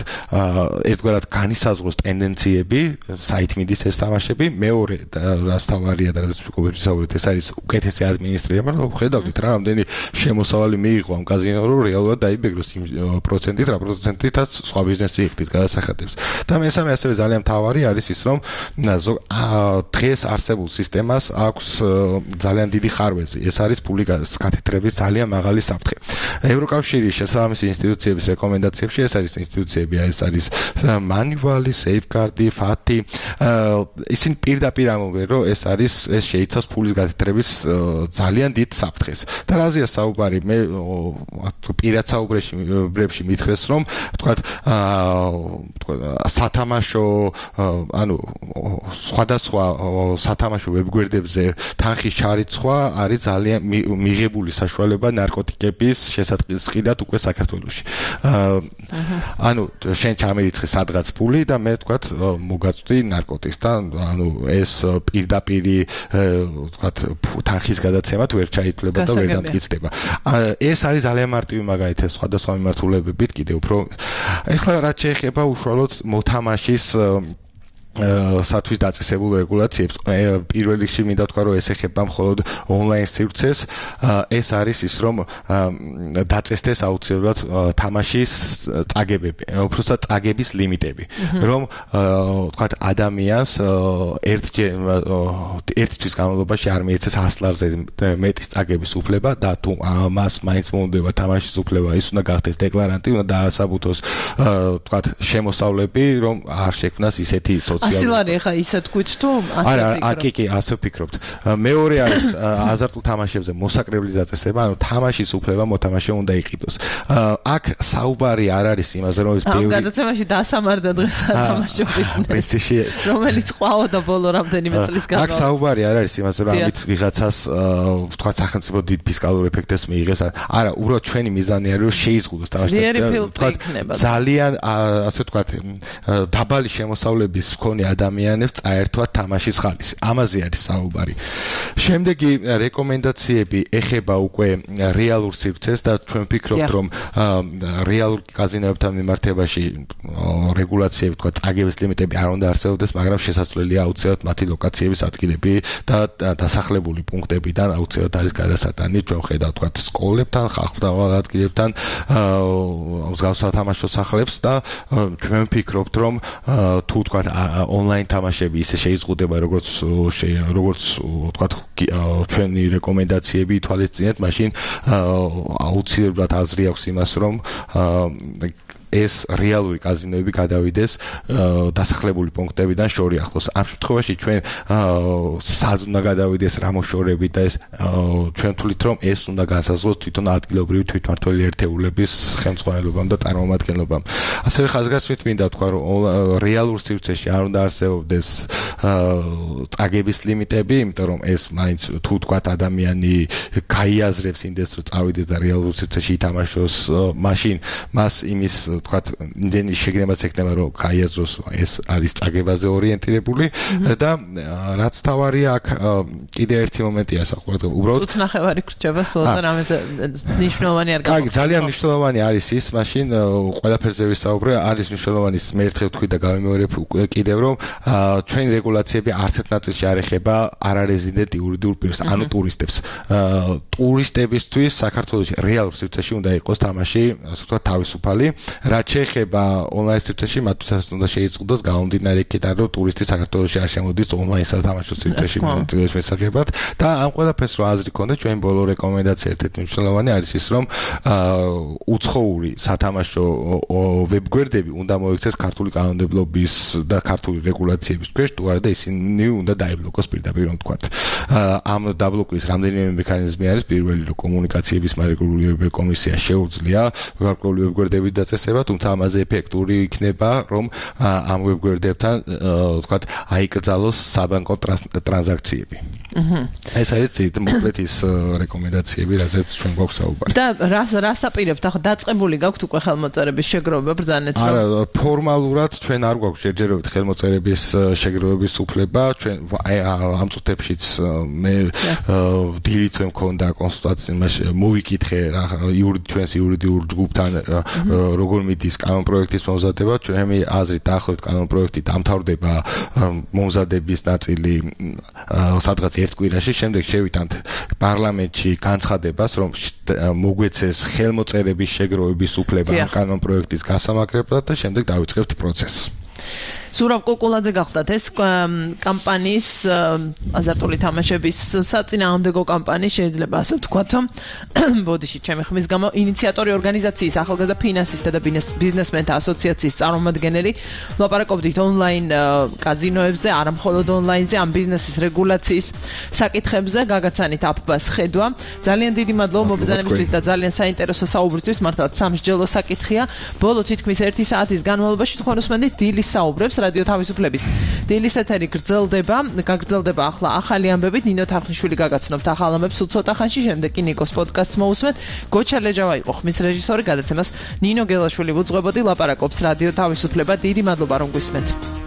E: ერთგვარად განისაზღვროს ტენდენციები, საითმიდის ეს თამაშები, მეორე რაც თავარია და რაც ვიკობებისაუბრეთ, ეს არის უკეთესი ადმინისტრირება, რომ ხედავდით რა რამდენი შემოსავალი მიიღო ამ კაზინო, რომ რეალურად დაიბეგროს იმ პროცენტით, რა პროცენტითაც სხვა ბიზნესი იხდის გადასახადებს. და მესამე ასევე ძალიან მთავარი არის ის, რომ დღეს არსებულ სისტემას აქვს ძალიან დიდი ხარვეზი. ეს არის ფული გათეთრების ძალიან მაღალი საფრთხე. ევროკავშირის შესაბამისი ინსტიტუციების რეკომენდაციებში ეს არის ინსტიტუციები, ეს არის მანივალი, safeguard, ფათი, ისინი პირდაპირ ამბობენ, რომ ეს არის ეს შეიცავს ფულის გათეთრების ძალიან დიდ საფრთხეს. და რაზეა საუბარი? მე პირად საუბრებში მითხრეს, რომ თქვათ სათამაშო ანუ სხვადასხვა სათამაშო ვებგვერდებზე თანხის ჩარიცხვა არის ძალიან მიღებული საშუალება ნარკოტიკების შესაწყისყიდად უკვე საქართველოში. ანუ შენ ჩამერიცხე სადღაც ფული და მე თქვათ მოგაწვდი ნარკოტიკს და ანუ ეს პირდაპირ თქვათ თანხის გადაცემად ვერ ჩაითვლება და ვერ დამტკიცდება. ეს არის ძალიან მარტივი მაგალითად სხვადასხვა მიმართულებებით კიდევ უფრო ეხლა რაც შეეხება უშუალოდ მოთამაშის სათვის დაწესებულ რეგულაციებს პირველ რიგში მინდა ვთქვა რომ ეს ეხება მხოლოდ ონლაინ სივრცეს ეს არის ის რომ დაწესდეს აუცილებლად თამაშის წაგებები უბრალოდ წაგების ლიმიტები რომ ვთქვათ ადამიანს ერთჯერ ერთთვის განმავლობაში არ მიეცეს ას ლარზე მეტის წაგების უფლება და თუ მას მაინც მოუნდება თამაშის უფლება ის უნდა გახდეს დეკლარანტი უნდა დაასაბუთოს ვთქვათ შემოსავლები რომ არ შექმნას ისეთი
C: ასილარი ხა ისე თქვით თუ ასე
E: არა აკი კი ასე ვფიქრობთ მეორე არის აზარტულ თამაშებზე მოსაკრებლის დაწესება ანუ თამაშის უფლება მოთამაშე უნდა იყიდოს აქ საუბარი არ არის იმაზე რომ ეს
C: ბევრი ამ გადაცემაში დასამარდა დღეს თამაშო ბიზნესი რომელიც ყვაოდა ბოლო რამდენიმე წლის განმავლობაში
E: აქ საუბარი არ არის იმაზე რომ ამით ვიღაცას ვთქვათ სახელმწიფო დიდ ფისკალურ ეფექტს მიიღებს არა უბრალოდ ჩვენი მიზანი არის რომ შეიზღუდოს თამაში
C: ვთქვათ
E: ძალიან ასე ვთქვათ დაბალი შემოსავლების მქონე ადამიანებს წაერთვათ თამაშის ხალისი. ამაზე არის საუბარი. შემდეგი რეკომენდაციები ეხება უკვე რეალურ სივრცეს და ჩვენ ვფიქრობთ რომ რეალურ კაზინოებთან მიმართებაში რეგულაციები თქვა წაგების ლიმიტები არ უნდა არსებობდეს, მაგრამ შესაძლებელია აუცილებლად მათი ლოკაციების ადგილები და დასახლებული პუნქტებიდან აუცილებლად არის გადასატანი ჩვენ ხედავთ თქვა სკოლებთან, ხალხმრავალ ადგილებთან, მსგავს სათამაშო სახლებს და ჩვენ ვფიქრობთ რომ თუ თქვა ონლაინ თამაშები ისე შეიზღუდება როგორც როგორც ვთქვათ ჩვენი რეკომენდაციები ითვალისწინეთ, მაშინ აუცილებლად აზრი აქვს იმას რომ ეს რეალური კაზინოები გადავიდეს დასახლებული პუნქტებიდან შორი ახლოს. ამ შემთხვევაში ჩვენ სად უნდა გადავიდეს რა მოშორებით და ეს ჩვენ თვლით რომ ეს უნდა განსაზღვროს თვითონ ადგილობრივი თვითმმართველი ერთეულების ხელმძღვანელობამ და წარმომადგენლობამ. ასევე ხაზგასმით მინდა ვთქვა რომ რეალურ სივრცეში არ უნდა არსებობდეს წაგების ლიმიტები, იმიტომ რომ ეს მაინც თუ თქვათ ადამიანი გაიაზრებს იმდეს რომ წავიდეს და რეალურ სივრცეში ითამაშოს, მაშინ მას იმის თქვათ იმდენი შეგნებაც ექნება რომ გაიაზროს ეს არის წაგებაზე ორიენტირებული და რაც თავარია აქ კიდე ერთი მომენტია საყურადღებო უბრალოდ
C: უცნახევარი გრჩება სულთან ამაზე ნიშნულოვანი არ
E: გაიგე ძალიან ნიშნულოვანი არის ის მაშინ ყველაფერზე ვისაუბრე არის მნიშვნელოვანი მე ერთხელ ვთქვი და გავიმეორებ კიდევ რომ ჩვენი რეგულაციები არც ერთ ნაწილში არ ეხება არარეზიდენტ იურიდიულ პირს ანუ ტურისტებს ტურისტებისთვის საქართველოში რეალურ სივრცეში უნდა იყოს თამაში ასე ვთქვათ თავისუფალი რაც შეეხება ონლაინ სივრცეში მათთვის უნდა შეიზღუდოს გამომდინარე იქიდან რომ ტურისტი საქართველოში არ შემოდის ონლაინ სათამაშო სივრცეში მონაწილეობის შესახებად და ამ ყველაფერს რო აზრი ქონდა ჩვენ ბოლო რეკომენდაცია ერთ-ერთი მნიშვნელოვანი არის ის რომ უცხოური სათამაშო ვებგვერდები უნდა მოიქცეს ქართული კანონმდებლობის და ქართული რეგულაციების ქვეშ თუ არა და ისინი უნდა დაიბლოკოს პირდაპირ რომ ვთქვათ ამ დაბლოკვის რამდენიმე მექანიზმი არის პირველი რომ კომუნიკაციების მარეგულირებელი კომისია შეუძლია გარკვეული ვებგვერდების დაწესება თუმცა ამაზე ეფექტური იქნება რომ ამ ვებგვერდებთან ვთქვათ აიკრძალოს საბანკო ტრანზაქციები. ეს არის მოკლედ ის რეკომენდაციები რაზეც ჩვენ გვაქვს საუბარი.
C: და რას რას აპირებთ ახლა დაწყებული გაქვთ უკვე ხელმოწერების შეგროვება ბრძანეთ რომ
E: არა ფორმალურად ჩვენ არ გვაქვს შეჯერებით ხელმოწერების შეგროვების უფლება ჩვენ ამ წუთებშიც მე დილით მე მქონდა კონსულტაცია მოვიკითხე რა ჩვენს იურიდიულ ჯგუფთან როგორ მიდის კანონპროექტის მომზადება ჩვენი აზრით დაახლოებით კანონპროექტი დამთავრდება მომზადების ნაწილი სადღაც ერთ კვირაში შემდეგ შევიტანთ პარლამენტში განცხადებას რომ მოგვეცეს ხელმოწერების შეგროვების უფლება კანონპროექტის გასამაგრებლად და შემდეგ დავიწყებთ პროცესს.
C: ზურაბ კუკულაძე გახდათ ეს კამპანიის აზარტული თამაშების საწინააღმდეგო კამპანიის შეიძლება ასე ვთქვათო ბოდიში ჩემი ხმის გამო ინიციატორი ორგანიზაციის ახალგაზრდა ფინანსისტთა და ბიზნესმენთა ასოციაციის წარმომადგენელი ლაპარაკობდით ონლაინ კაზინოებზე არა მხოლოდ ონლაინზე ამ ბიზნესის რეგულაციის საკითხებზე გაგაცანით აფბას ხედვა ძალიან დიდი მადლობა მობრძანებისთვის და ძალიან საინტერესო საუბრისთვის მართლაც სამსჯელო საკითხია ბოლო თითქმის ერთი საათის განმავლობაში თქვენ უსმენთ დილის საუბრებს რადიო თავისუფლების დილის ეთერი გრძელდება გაგრძელდება ახლა ახალი ამბებით ნინო თარხნიშვილი გაგაცნობთ ახალ ამბებს უცოტა ხანში შემდეგ კი ნიკოს პოდკასტს მოусმენთ გოჩა ლეჯავა იყო ხმის რეჟისორი გადაცემას ნინო გელაშვილი უძღვებოდი ლაპარაკობს რადიო თავისუფლება დიდი მადლობა რომ გვისმენთ